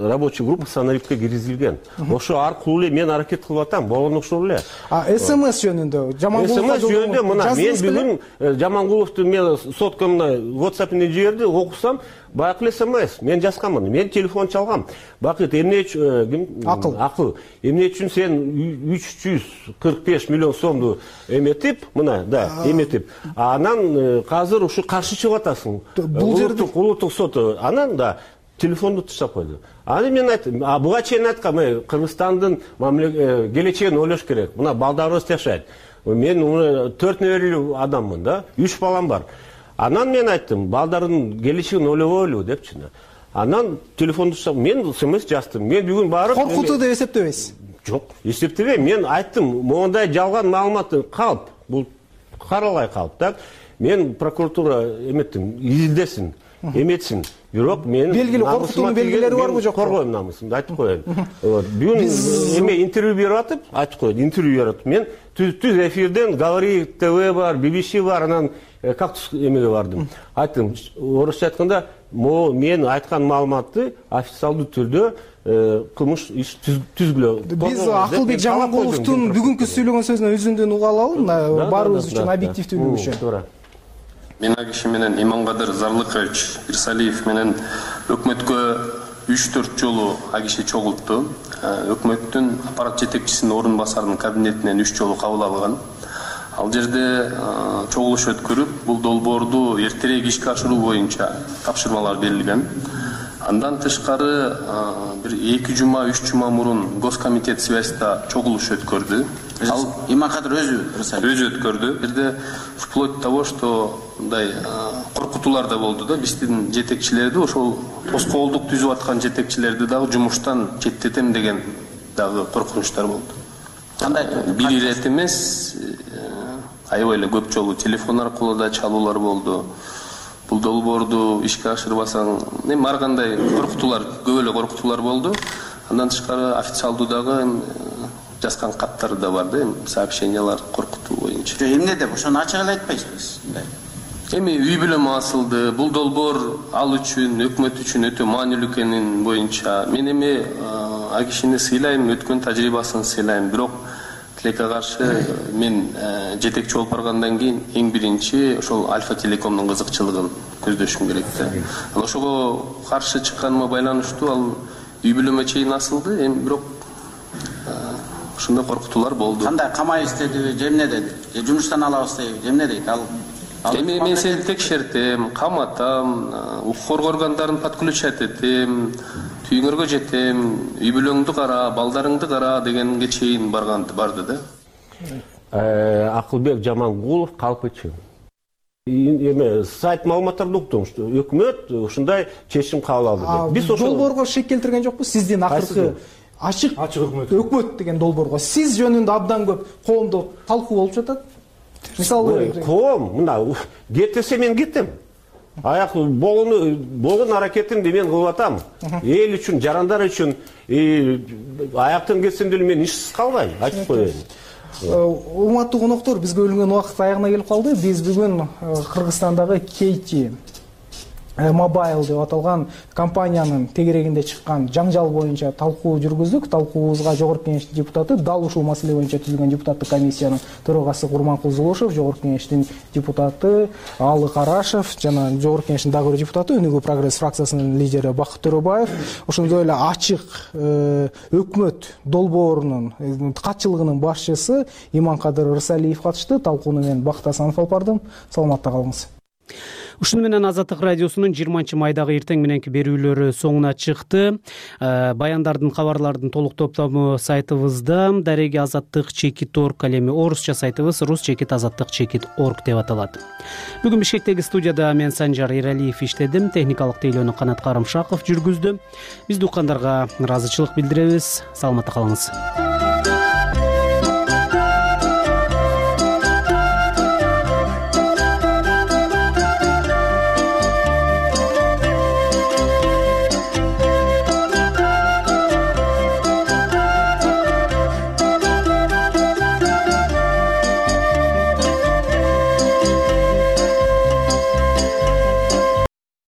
рабочий группа Санарипке киргизилген. Ошо аркылуу эле мен аракет кылып атам, болгону ошол эле. СМС жөнүндө, СМС жөнүндө мына мен бүгүн Жамангуловду мен соткамда WhatsApp-ine жиберди, окусам, баягы СМС, мен жазгамын, мен телефон чалгам. Бакыт, эмне үчүн акыл, эмне үчүн сен 345 миллион сомду эметип, мына, да, эметип, анан азыр ушу каршы чыгып атасың. Улуттук соту, анан да телефонду таштап койду. Аны мен айттым, буга чейин айткам, Кыргызстандын келечегин ойлош керек. Мына балдарыбыз жашайт. Мен 4 неберелүү адаммын да, 3 балам бар. Анан мен айттым, балдардын келечегин ойлобойлу депчи. Анан телефонду таштап, мен СМС жаздым. Мен бүгүн барып коркутуу деп эсептебейсиз? Жок, эсептебейм. Мен айттым, мондай жалган маалымат калп, бул каралбай калп, так? Мен прокуратура эметтим, изилдесин, эметсин. Бирок мен белгилүү коркутуунун белгилери барбы жокпу? Коргойм намысымды, айтып коеюн. Бүгүн эме интервью берип атып, айтып коет, интервью берип атып. Мен түз эфирден Говори ТВ бар, BBC бар, анан кактус эмеге бардым. Айттым, орусча айтканда, мен айткан маалыматты официалдуу түрдө кылмыш иш түзгүлө. Биз Акылбек Жамангуловдун бүгүнкү сөйлөгөн сөзүнөн үзүндүн уга алалы, баарыбыз үчүн объективдүүлүк үчүн. Мен киши менен Иманкадыр Зарлыкович Ирсалиев менен өкмөткө 3-4 жолу киши чогултту. Өкмөттүн аппарат жетекчисинин орун басарынын кабинетинен 3 жолу кабыл алган. Ал жерде чогулуш өткөрүп, бул долбоорду эртерээк ишке ашыруу боюнча тапшырмалар берилген. Андан тышкары бир 2 жума, 3 жума мурун Госкомитет связьда чогулуш өткөрдү. Ал Иманкадыр өзү өткөрдү. Бирде вплоть до того, что мындай коркутуулар да болду да, биздин жетекчилерди, ошол тоскоолдук түзүп аткан жетекчилерди дагы жумуштан четтетем деген дагы коркунучтар болду. Кандай бир ирет эмес, аябай эле көп жолу телефон аркылуу да чалуулар болду. Бул долбоорду ишке ашырбасаң, эми ар кандай коркутуулар, көп эле коркутуулар болду. Андан тышкары официалдуу дагы жазган каттар да бар да, сообщениялар коркутуу боюнча. Эмне деп ошону ачык эле айтпайсызбы? Эми үй бүлөм асылды. Бул долбоор ал үчүн, өкмөт үчүн өтө маанилүү экенин боюнча мен эми кишини сыйлайм, өткөн тажрыйбасын сыйлайм. Бирок тилекке каршы мен жетекчи болуп баргандан кийин эң биринчи ошол Альфа Телекомдун кызыкчылыгын көздөшүм керек да. Ошого каршы чыкканыма байланыштуу ал үй бүлөмө чейин асылды. Эми бирок ушундай коркутуулар болду. Кандай камайбыз дедиби, же эмне деди? Же жумуштан алабыз деди, эмне дейт? Эми мен сени текшертем, каматам, укук коргоо органдарын подключать этем, түйүңөргө жетем, үй бүлөңдү кара, балдарыңды кара дегенге чейин барды да. Акылбек Жамангулов калпычы. Эме сайт маалыматтарды уктум, өкмөт ушундай чечим кабыл алды деп. Биз ошол долбоорго шек келтирген жокпуз. Сиздин акыркы ачык өкмөт деген долбоорго сиз жөнүндө абдан көп коомдо талкуу болуп жатат. Мисалы, коом мына кетсе мен кетем. Аяк болгон аракетимди мен кылып атам. Эл үчүн, жарандар үчүн, аяктан кетсем деле мен ишсиз калбайм, айтып коеюн. Урматтуу коноктор, бизге бөлүнгөн убакыт аягына келип калды. Биз бүгүн Кыргызстандагы Кейти Mobile деп аталган компаниянын тегерегинде чыккан жаңжал боюнча талкуу жүргүздүк. Талкуубузга Жогорку Кеңештин депутаты, дал ушул маселе боюнча түзүлгөн депутаттык комиссиянын төрагасы Курманкул Зулушев, Жогорку Кеңештин депутаты Алы Карашев жана Жогорку Кеңештин дагы бир депутаты Өнүгүү прогресс фракциясынын лидери Бакыт Төрөбаев ошондой эле ачык өкмөт долбоорунун катчылыгынын башчысы Иманкадыр Ырсалиев катышты. Талкууну мен Бакыт Асанов алып бардым. Саламатта калыңыз. Ушуну менен Азаттык радиосунун 20 майдагы эртең мененки берүүлөрү соңуна чыкты. Баяндардын, кабарлардын толук топтому сайтыбызда дареги azattyk.org, ал эми орусча сайтыбыз rus-azattyk.org деп аталат. Бүгүн Бишкектеги студияда мен Санжар Эралиев иштедим, техникалык тейлөөнү Канат Карымшаков жүргүздү. Биз уккандарга ыраазычылык билдиребиз. Саламатта калыңыз.